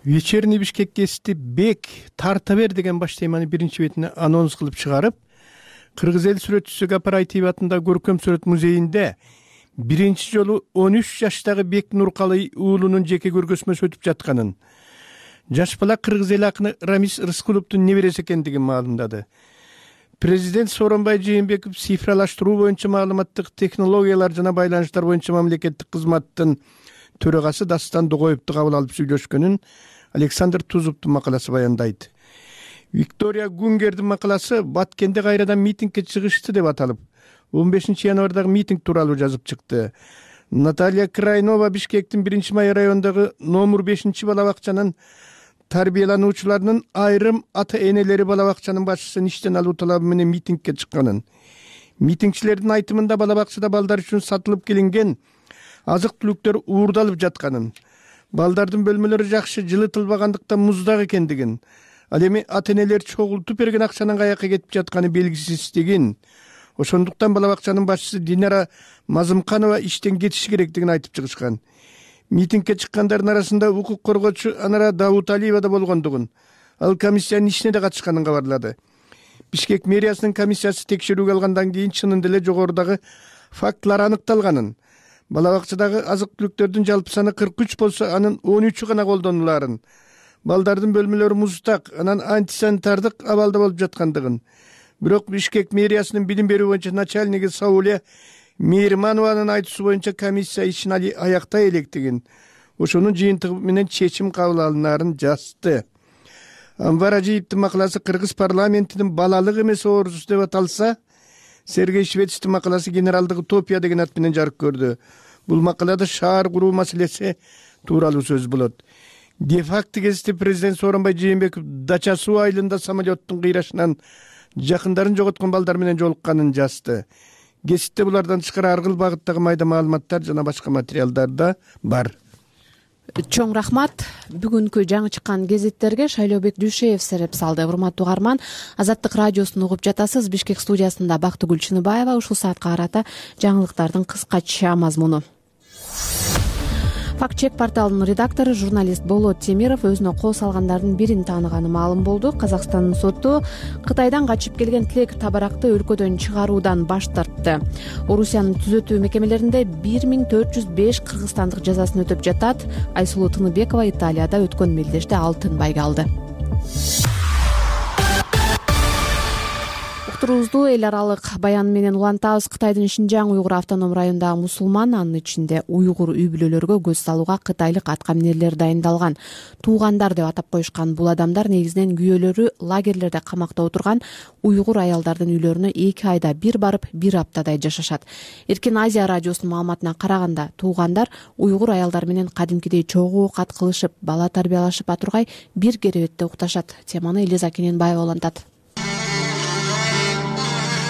вечерний Бишкек гезити бек тарта бер деген баш теманы биринчи бетине анонс кылып чыгарып, кыргыз эл сүрөтчүсү Гапар Айтиев атындагы көркөм сүрөт музейинде биринчи жолу он үч жаштагы Бек Нуркалый уулунун жеке көргөзмөсү өтүп жатканын, жаш бала кыргыз эл акыны Рамис Рыскуловдун небереси экендигин маалымдады. Президент Сооронбай Жээнбеков цифралаштыруу боюнча маалыматтык технологиялар жана байланыштар боюнча мамлекеттик кызматтын төрагасы Дастан Догоевду кабыл алып сүйлөшкөнүн Александр Тузовдун макаласы баяндайт. Виктория Гунгердин макаласы Баткенде кайрадан митингге чыгышты деп аталып, он бешинчи январдагы митинг тууралуу жазып чыкты. Наталья Крайнова Бишкектин биринчи май районундагы номер бешинчи бала бакчанын тарбиялануучуларынын айрым ата-энелери бала бакчанын башчысын иштен алуу талабы менен митингге чыкканын, митингчилердин айтымында бала бакчада балдар үчүн сатылып келинген азык-түлүктөр уурдалып жатканын, балдардын бөлмөлөрү жакшы жылытылбагандыктан муздак экендигин, ал эми ата-энелер чогултуп берген акчанын каяка кетип жатканы белгисиздигин, ошондуктан бала бакчанын башчысы Динара Мазымканова иштен кетиши керектигин айтып чыгышкан. Митингге чыккандардын арасында укук коргоочу Анара Дауталиева да болгондугун, ал комиссиянын ишине да катышканын кабарлады. Бишкек мэриясынын комиссиясы текшерүүгө алгандан кийин чынында эле жогорудагы фактылар аныкталганын, бала бакчадагы азык-түлүктөрдүн жалпы саны кырк үч болсо, анын он үчү гана колдонулаарын, балдардын бөлмөлөрү муздак, анан антисанитардык абалда болуп жаткандыгын. Бирок Бишкек мэриясынын билим берүү боюнча начальниги Сауле Мейирманованын айтуусу боюнча комиссия ишин аяктай электигин, ошонун жыйынтыгы менен чечим кабыл алынаарын жазды. Анвар Ажиевдин макаласы кыргыз парламентинин балалык эмес оорусу деп аталса, Сергей Швецтин макаласы генералдык утопия деген ат менен жарык көрдү. Бул макалада шаар куруу маселеси тууралуу сөз болот. Де-факто гезити президент Сооронбай Жээнбеков Дача суу айылында самолеттун кыйрашынан жакындарын жоготкон балдар менен жолукканын жазды. Гезитте булардан тышкары ар кыл багыттагы майда маалыматтар жана башка материалдар да бар. Чоң рахмат. Бүгүнкү жаңы чыккан гезиттерге Шайлообек Дүйшеев сереп салды. Урматтуу угарман, Азаттык радиосун угуп жатасыз. Бишкек студиясында Бактыгүл Чыныбаева. Ушул саатка карата жаңылыктардын кыскача мазмуну. Факт-чек порталынын редактору журналист Болот Темиров өзүнө кол салгандардын бирин тааныганы маалым болду. Казакстандын соту Кытайдан качып келген тилек табаракты өлкөдөн чыгаруудан баш тартты. Орусиянын түзөтүү мекемелеринде бир миң төрт жүз беш кыргызстандык жазасын өтөп жатат. Айсулуу Тыныбекова Италияда өткөн мелдеште алтын байга алды. Уктуруубузду эл аралык баян менен улантабыз. Кытайдын Шинжаң уйгур автоном районундагы мусулман, анын ичинде уйгур үй бүлөлөргө көз салууга кытайлык аткаминерлер дайындалган. Туугандар деп атап коюшкан бул адамдар негизинен күйөөлөрү лагерлерде камакта отурган уйгур аялдардын үйлөрүнө эки айда бир барып, бир аптадай жашашат. Эркин Азия радиосунун маалыматына караганда, туугандар уйгур аялдар менен кадимкидей чогуу оокат кылышып, бала тарбиялашып атургай бир керебетте укташат. Теманы Элиза Кененбаева улантат.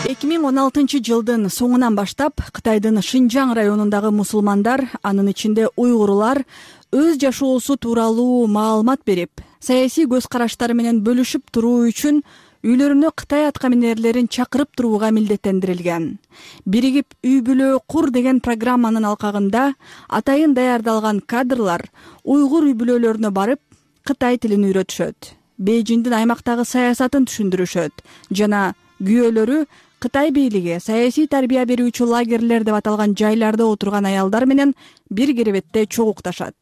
эки миң он алтынчы жылдын соңунан баштап Кытайдын Шинжаң районундагы мусулмандар, анын ичинде уйгурлар, өз жашоосу тууралуу маалымат берип, саясий көз караштары менен бөлүшүп туруу үчүн үйлөрүнө Кытай аткаминерлерин чакырып турууга милдеттендирилген. Биригип үй бүлө кур деген программанын алкагында атайын даярдалган кадрлар уйгур үй бүлөлөрүнө барып, Кытай тилин үйрөтүшөт, Бейжиңдин аймактагы саясатын түшүндүрүшөт жана күйөөлөрү Кытай бийлиги саясий тарбия берүүчү лагерлер деп аталган жайларда отурган аялдар менен бир керебетте чогукташат.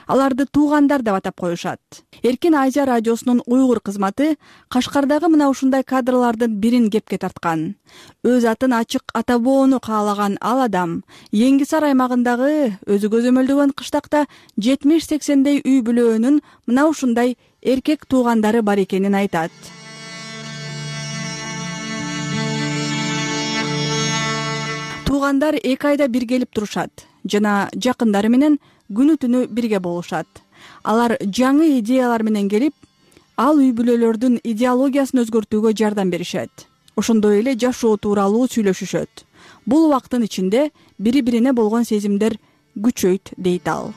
Аларды туугандар деп атап коюшат. Эркин Азия радиосунун уйгур кызматы Кашкардагы мына ушундай кадрлардын бирин кепке тарткан. Өз атын ачык атабоону каалаган ал адам Эңгисар аймагындагы өзү көзөмөлдөгөн кыштакта жетимиш сексендей үй бүлөөнүн мына ушундай эркек туугандары бар экенин айтат. Туугандар эки айда бир келип турушат жана жакындары менен күнү түнү бирге болушат. Алар жаңы идеялар менен келип, ал үй бүлөлөрдүн идеологиясын өзгөртүүгө жардам беришет. Ошондой эле жашоо тууралуу сүйлөшүшөт. Бул убакыттын ичинде бири-бирине болгон сезимдер күчөйт, дейт ал.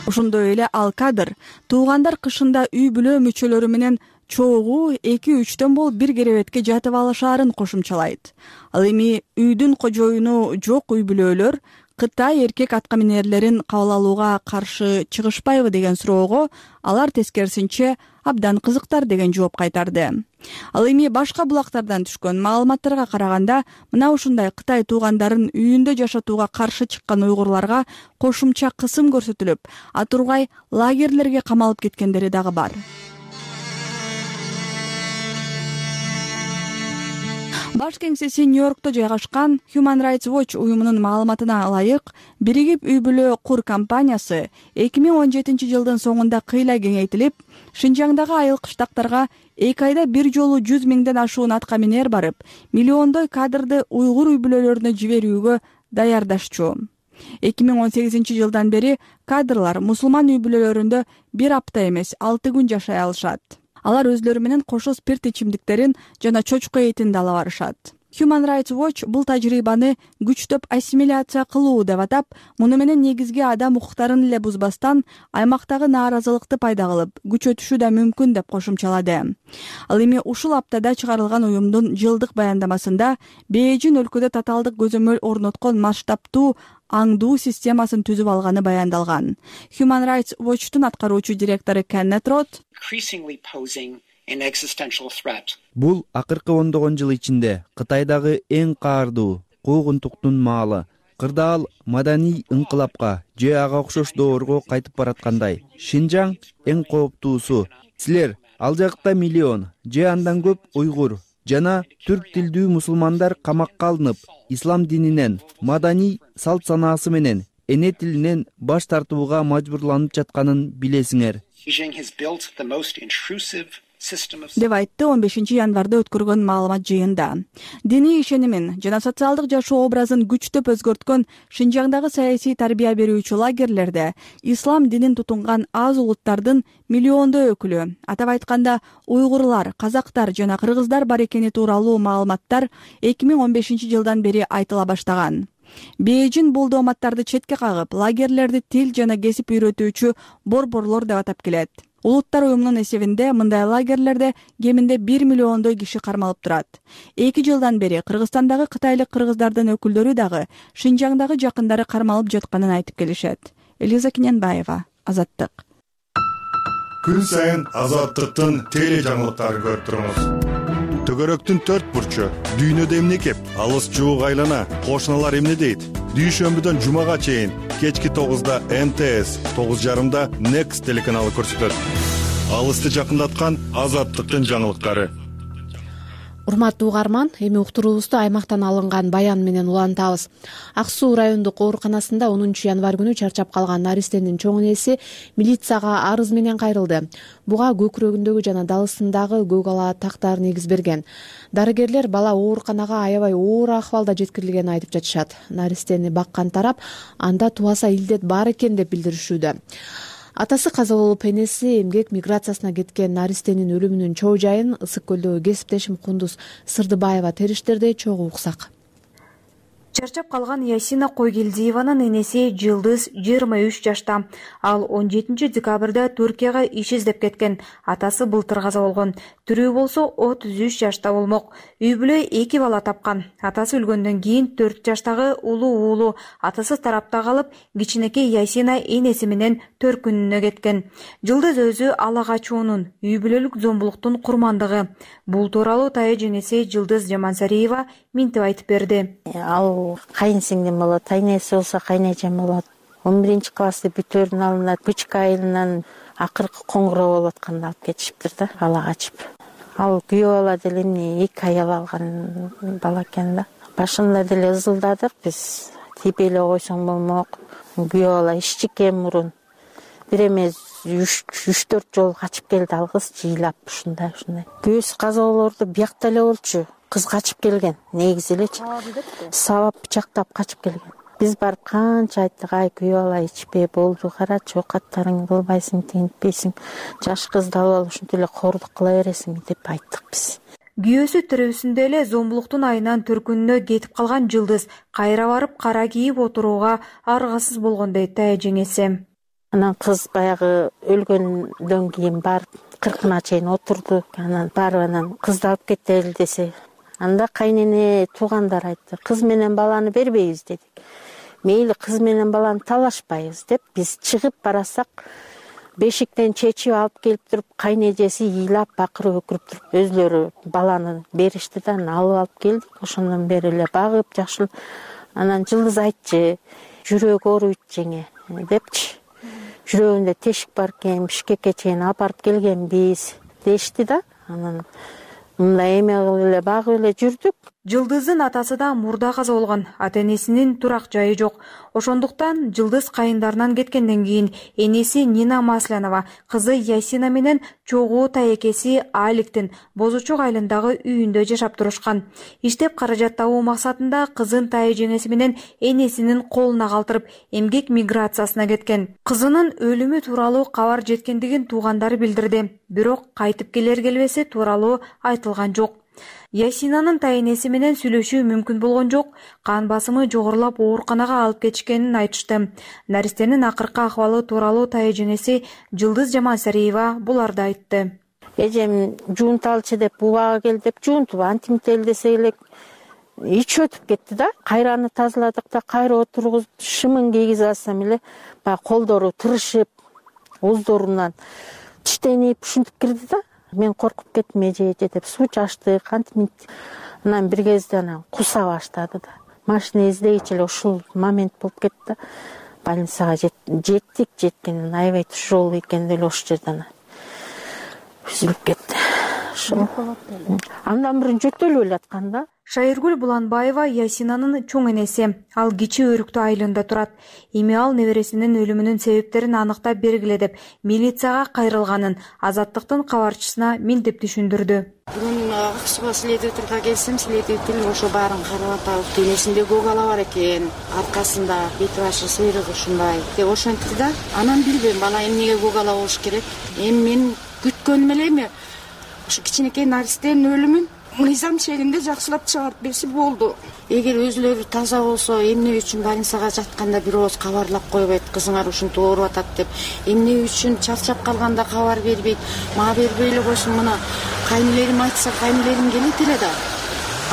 Ошондой эле ал кадр туугандар кышында үй бүлө мүчөлөрү менен чогуу эки-үчтөн болуп бир керебетке жатып алышаарын кошумчалайт. Ал эми үйдүн кожоюну жок үй бүлөлөр Кытай эркек атка минерлерин кабыл алууга каршы чыгышпайбы деген суроого алар тескерисинче абдан кызыктар деген жооп кайтарды. Ал эми башка булактардан түшкөн маалыматтарга караганда мына ушундай Кытай туугандарын үйүндө жашатууга каршы чыккан уйгурларга кошумча кысым көрсөтүлүп, атургай лагерлерге камалып кеткендери дагы бар. Баш кеңсеси Нью-Йоркто жайгашкан Human Rights Watch уюмунун маалыматына ылайык, биригип үй бүлө кур компаниясы эки миң он жетинчи жылдын соңунда кыйла кеңейтилип, Шинжаңдагы айыл кыштактарга эки айда бир жолу жүз миңден ашуун атка минер барып, миллиондой кадрды уйгур үй бүлөлөрүнө жиберүүгө даярдашчу. эки миң он сегизинчи жылдан бери кадрлар мусулман үй бүлөлөрүндө бир апта эмес, алты күн жашай алышат. Алар өзлөрү менен кошо спирт ичимдиктерин жана чочко этин да ала барышат. Human Rights Watch бул тажрыйбаны күчтөп ассимиляция кылуу деп атап, муну менен негизги адам укуктарын эле бузбастан аймактагы нааразылыкты пайда кылып, күчөтүшү да мүмкүн деп кошумчалады. Ал эми ушул аптада чыгарылган уюмдун жылдык баяндамасында Бээжин өлкөдө тоталдык көзөмөл орноткон масштабтуу аңдуу системасын түзүп алганы баяндалган. Human Rights Watch'тун аткаруучу директору Кеннет Рот бул акыркы ондогон жыл ичинде Кытайдагы эң каардуу куугунтуктун маалы. Кырдаал маданий ыңкылапка же ага окшош доорго кайтып бараткандай. Шинжаң эң кооптуусу. Силер ал жакта миллион же андан көп уйгур жана түрк тилдүү мусулмандар камакка алынып, ислам дининен, маданий салт санаасы менен, эне тилинен баш тартууга мажбурланып жатканын билесиңер деп айтты он бешинчи январда өткөргөн маалымат жыйында. Диний ишенимин жана социалдык жашоо образын күчтөп өзгөрткөн Шинжаңдагы саясий тарбия берүүчү лагерлерде ислам динин тутунган аз улуттардын миллиондой өкүлү, атап айтканда уйгурлар, казактар жана кыргыздар бар экени тууралуу маалыматтар эки миң он бешинчи жылдан бери айтыла баштаган. Бээжин бул дооматтарды четке кагып, лагерлерди тил жана кесип үйрөтүүчү борборлор деп атап келет. Улуттар уюмунун эсебинде мындай лагерлерде кеминде бир миллиондой киши кармалып турат. эки жылдан бери Кыргызстандагы кытайлык кыргыздардын өкүлдөрү дагы Шинжаңдагы жакындары кармалып жатканын айтып келишет. Элиза Киненбаева, Азаттык. Күн сайын Азаттыктын теле жаңылыктарын көрүп туруңуз. Төгөрөктүн төрт бурчу, дүйнөдө эмне кеп, алыс жуук айлана, кошуналар эмне дейт? Дүйшөмбүдөн жумага чейин кечки тогузда эм тэ эс, тогуз жарымда Next телеканалы көрсөтөт. Алысты жакындаткан Азаттыктын жаңылыктары. Урматтуу угарман, эми уктуруубузду аймактан алынган баян менен улантабыз. Ак Суу райондук ооруканасында онунчу январь күнү чарчап калган наристенин чоң энеси милицияга арыз менен кайрылды. Буга көкүрөгүндөгү жана далысындагы көк ала тактар негиз берген. Дарыгерлер бала ооруканага аябай оор акыбалда жеткирилгенин айтып жатышат. Наристени баккан тарап анда тубаса илдет бар экен деп билдиришүүдө. Атасы каза болуп, энеси эмгек миграциясына кеткен наристенин өлүмүнүн чоо жайын Ысык көлдөгү кесиптешим Кундуз Сырдыбаева териштирди, чогуу уксак. Чарчап калган Ясина Койгелдиеванын энеси Жылдыз жыйырма үч жашта. Ал он жетинчи декабрда Түркияга иш издеп кеткен. Атасы былтыр каза болгон. Түрүү болсо отуз үч жашта болмок. Үй бүлө эки бала тапкан. Атасы өлгөндөн кийин төрт жаштагы улуу уулу атасы тарапта калып, кичинекей Ясина энеси менен төркүнүнө кеткен. Жылдыз өзү ала качуунун, үй бүлөлүк зомбулуктун курмандыгы. Бул тууралуу тая женеси Жылдыз Жамансариева минтип айтып берди. Ал кайын сиңдим болот, айнеси болсо кайнэжем болот. он биринчи классты бүтөөрүн алынат, Бычка айылынан акыркы коңгуроо болуп атканда алып кетишиптир да, ала качып. Ал күйөө бала деле эмне эки аял алган бала экен да. Башында деле ызылдадык биз, тийбей эле койсоң болмок. Күйөө бала ишчике мурун. Бир эмес үч төрт жолу качып келди ал кыз, жыйлап ушундай ушундай. Күйөөсү каза болоорду биякта эле болчу. Кыз качып келген, негизи элечи. Сабап бычактап качып келген. Биз барып канча айттык, ай күйөө бала ичпей болду, карачы, окаттарыңды кылбайсың, тигинтпейсиң, жаш кызды алып алып ушинтип эле кордук кыла бересиң деп айттык биз. Күйөөсү тирүүсүндө эле зомбулуктун айынан төркүнүнө кетип калган Жылдыз кайра барып кара кийип отурууга аргасыз болгон дейт тая жеңеси. Анан кыз баягы өлгөндөн кийин барып кыркына чейин отурду. Анан барып анан кызды алып кетели десе, анда кайнене туугандар айтты, кыз менен баланы бербейбиз дедик. мейли кыз менен баланы талашпайбыз деп биз чыгып барасак, бешиктен чечип алып келип туруп, кайнэжеси ыйлап бакырып өкүрүп туруп өзлөрү баланы беришти да, алып алып келдик. Ошондон бери эле багып жакшы. Анан Жылдыз айтчы, жүрөгү ооруйт жеңе депчи. Жүрөгүндө тешик бар экен, Бишкекке чейин апарып келгенбиз дешти да. Анан мындай эме кылып эле багып эле жүрдүк. Жылдыздын атасы да мурда каза болгон, ата-энесинин турак жайы жок. Ошондуктан Жылдыз кайындарынан кеткенден кийин энеси Нина Маслянова, кызы Ясина менен чогуу таекеси Аликтин Бозучок айылындагы үйүндө жашап турушкан. Иштеп каражат табуу максатында кызын тайы жеңеси менен энесинин колуна калтырып, эмгек миграциясына кеткен. Кызынын өлүмү тууралуу кабар жеткендигин туугандары билдирди, бирок кайтып келер келбеси тууралуу айтылган жок. Ясинанын тайенеси менен сүйлөшүү мүмкүн болгон жок. Кан басымы жогорулап ооруканага алып кетишкенин айтышты. Наристенин акыркы акыбалы тууралуу тайы жеңеси Жылдыз Жамансариева буларды айтты. Эжем жуунталчы деп бубага кел деп жуунтуп антимител десе элек ич өтүп кетти да. Кайраны тазаладык да, кайра отургузуп шымын кийгизе алсам эле баягы колдору тырышып, оздорунан тиштенип ушинтип кирди да. Мен коркуп кеттим, эже эже деп суу чачтык, антимит. Анан бир кезде анан куса баштады да. Машина издегичи эле ушул момент болуп кетти да. Больницага жеттик, жеткенин аябай туш жол экен деле ошол жерден үзүлүп кетти. Андан мурун жөтөлүп эле аткан да. Шайыргүл Буланбаева Ясинанын чоң энеси. Ал Кичи Өрүктүү айылында турат. Эми ал небересинин өлүмүнүн себептерин аныктап бергиле деп милицияга кайрылганын Азаттыктын кабарчысына мынтип түшүндүрдү. Бүгүн Аксуга следователге келсем, следователь ошо баарын карап атат. Денесинде көк ала бар экен, аркасында бет башы сыйрык ушундай деп ошентти да. Анан билбейм, бала эмнеге көк ала болуш керек. Эми мен күткөнүм эле эми ушу кичинекей наристенин өлүмүн мыйзам шегинде жакшылап чыгарып берсе болду. Эгер өзүлөрү таза болсо, эмне үчүн больницага жатканда бир ооз кабарлап койбойт, кызыңар ушинтип ооруп атат деп. Эмне үчүн чарчап калганда кабар бербейт, мага бербей эле койсун, мына кайнелерим айтса, кайнелерим келет эле да.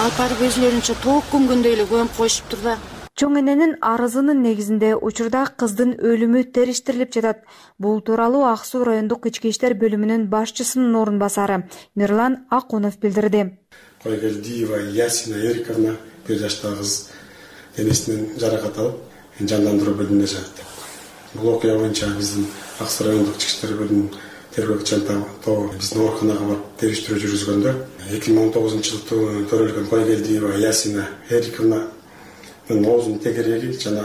Алып барып өзүлөрүнчө тоок көмгөндөй эле көмүп коюшуптур да. Чоң эненин арызынын негизинде учурда кыздын өлүмү териштирилип жатат. Бул тууралуу Ак Суу райондук ички иштер бөлүмүнүн башчысынын орун басары Мирлан Акунов билдирди. Койгелдиева Ясина Эриковна бир жаштагы кыз денесинен жаракат алып, жандандыруу бөлүмүндө жатат. Бул окуя боюнча биздин Ак Суу райондук ички иштер бөлүмүнүн тергөөчү тобу биздин ооруканага барып териштирүү жүргүзгөндө эки миң он тогузунчу жылы төрөлгөн Койгелдиева Ясина Эриковна оозунун тегереги жана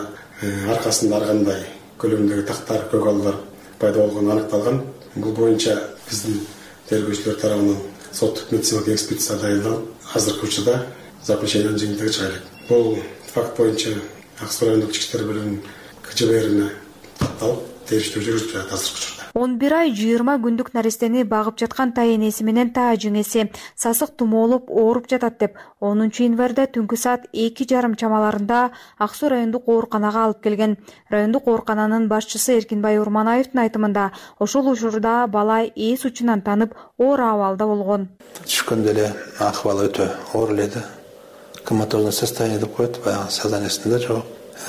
аркасында ар кандай көлөмүндөгү тактар, көк алалар пайда болгону аныкталган. Бул боюнча биздин тергөөчүлөр тарабынан соттук медициналык экспертиза дайындалып, азыркы учурда заключениянын жыйынтыгы чыгарылат. Бул факт боюнча Ак Суу райондук ички иштер бөлүмүнүн К Ж Б Рине татталып, териштирүү жүргүзүлүп жатат азыркы учурда. он бир ай жыйырма күндүк наристени багып жаткан тай энеси менен тай жеңеси сасык тумоолуп ооруп жатат деп онунчу январда түнкү саат эки жарым чамаларында Ак Суу райондук ооруканага алып келген. Райондук оорукананын башчысы Эркинбай Урманаевдин айтымында ошол учурда бала эс учунан танып оор абалда болгон. Түшкөндө эле акыбалы өтө оор эле да. Коматозное состояние деп коет, баягы сознаниесинде жок.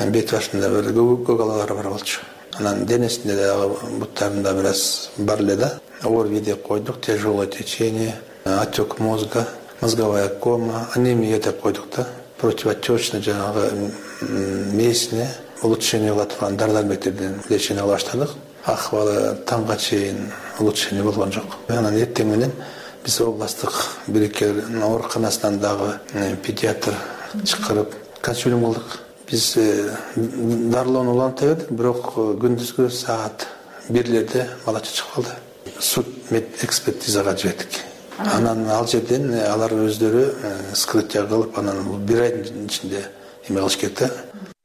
Бет башында бир көк алалары бар болчу. Анан денесинде дагы буттарында бир аз бар эле да. ОРВИ деп койдук, тяжелое течение, отек мозга, мозговая кома, анемия деп койдук да. Противотечный жанагы месине улучшение кыла турган дары дармектерден лечение кыла баштадык. Акыбалы таңга чейин улучшение болгон жок. Анан эртең менен биз областтык бирикке ооруканасынан дагы педиатр чакырып консилиум кылдык. Биз дарылоону уланта бердик, бирок күндүзгү саат бирлерде бала чыгып калды. Суд мед экспертизага жибердик. Анан ал жерден алар өздөрү вскрытие кылып, анан бир айдын ичинде эме кылыш керек да.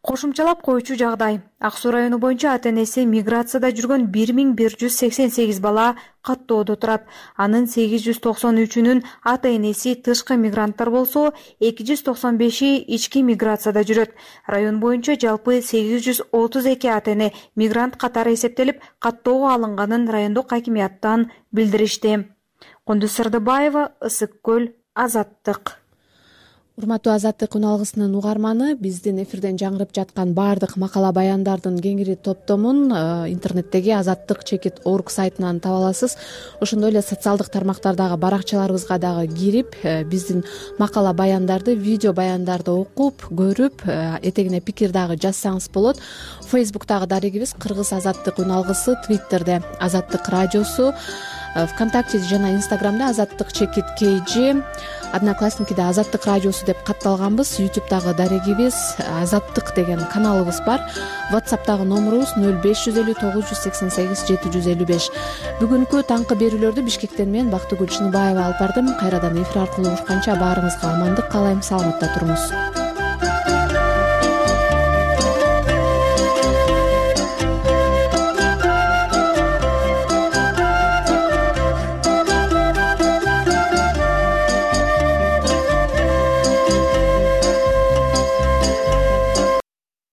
Кошумчалап коючу жагдай. Ак Суу району боюнча ата-энеси миграцияда жүргөн бир миң бир жүз сексен сегиз бала каттоодо турат. Анын сегиз жүз токсон үчүнүн ата-энеси тышкы мигранттар болсо, эки жүз токсон беши ички миграцияда жүрөт. Район боюнча жалпы сегиз жүз отуз эки ата-эне мигрант катары эсептелип, каттоого алынганын райондук акимияттан билдиришти. Кундуз Сырдыбаева, Ысык көл, Азаттык. урматтуу Азаттык үн алгысынын угарманы, биздин эфирден жаңырып жаткан баардык макала баяндардын кеңири топтомун интернеттеги азаттык чекит орг сайтынан таба аласыз. Ошондой эле социалдык тармактардагы баракчаларыбызга дагы кирип, биздин макала баяндарды, видео баяндарды окуп, көрүп, этегине пикир дагы жазсаңыз болот. Фейсбуктагы дарегибиз Кыргыз азаттык үн алгысы, Твиттерде Азаттык радиосу, ВКонтакте жана Инстаграмда Азаттык чекит kg, Одноклассникиде Азаттык радиосу деп катталганбыз. Ютубтагы дарегибиз Азаттык деген каналыбыз бар. WhatsAppтагы номерубуз нөл беш жүз элүү тогуз жүз сексен сегиз жети жүз элүү беш. Бүгүнкү таңкы берүүлөрдү Бишкектен мен Бактыгүл Чыныбаева алып бардым. Кайрадан эфир аркылуу урушканча баарыңызга амандык каалайм, саламатта туруңуз.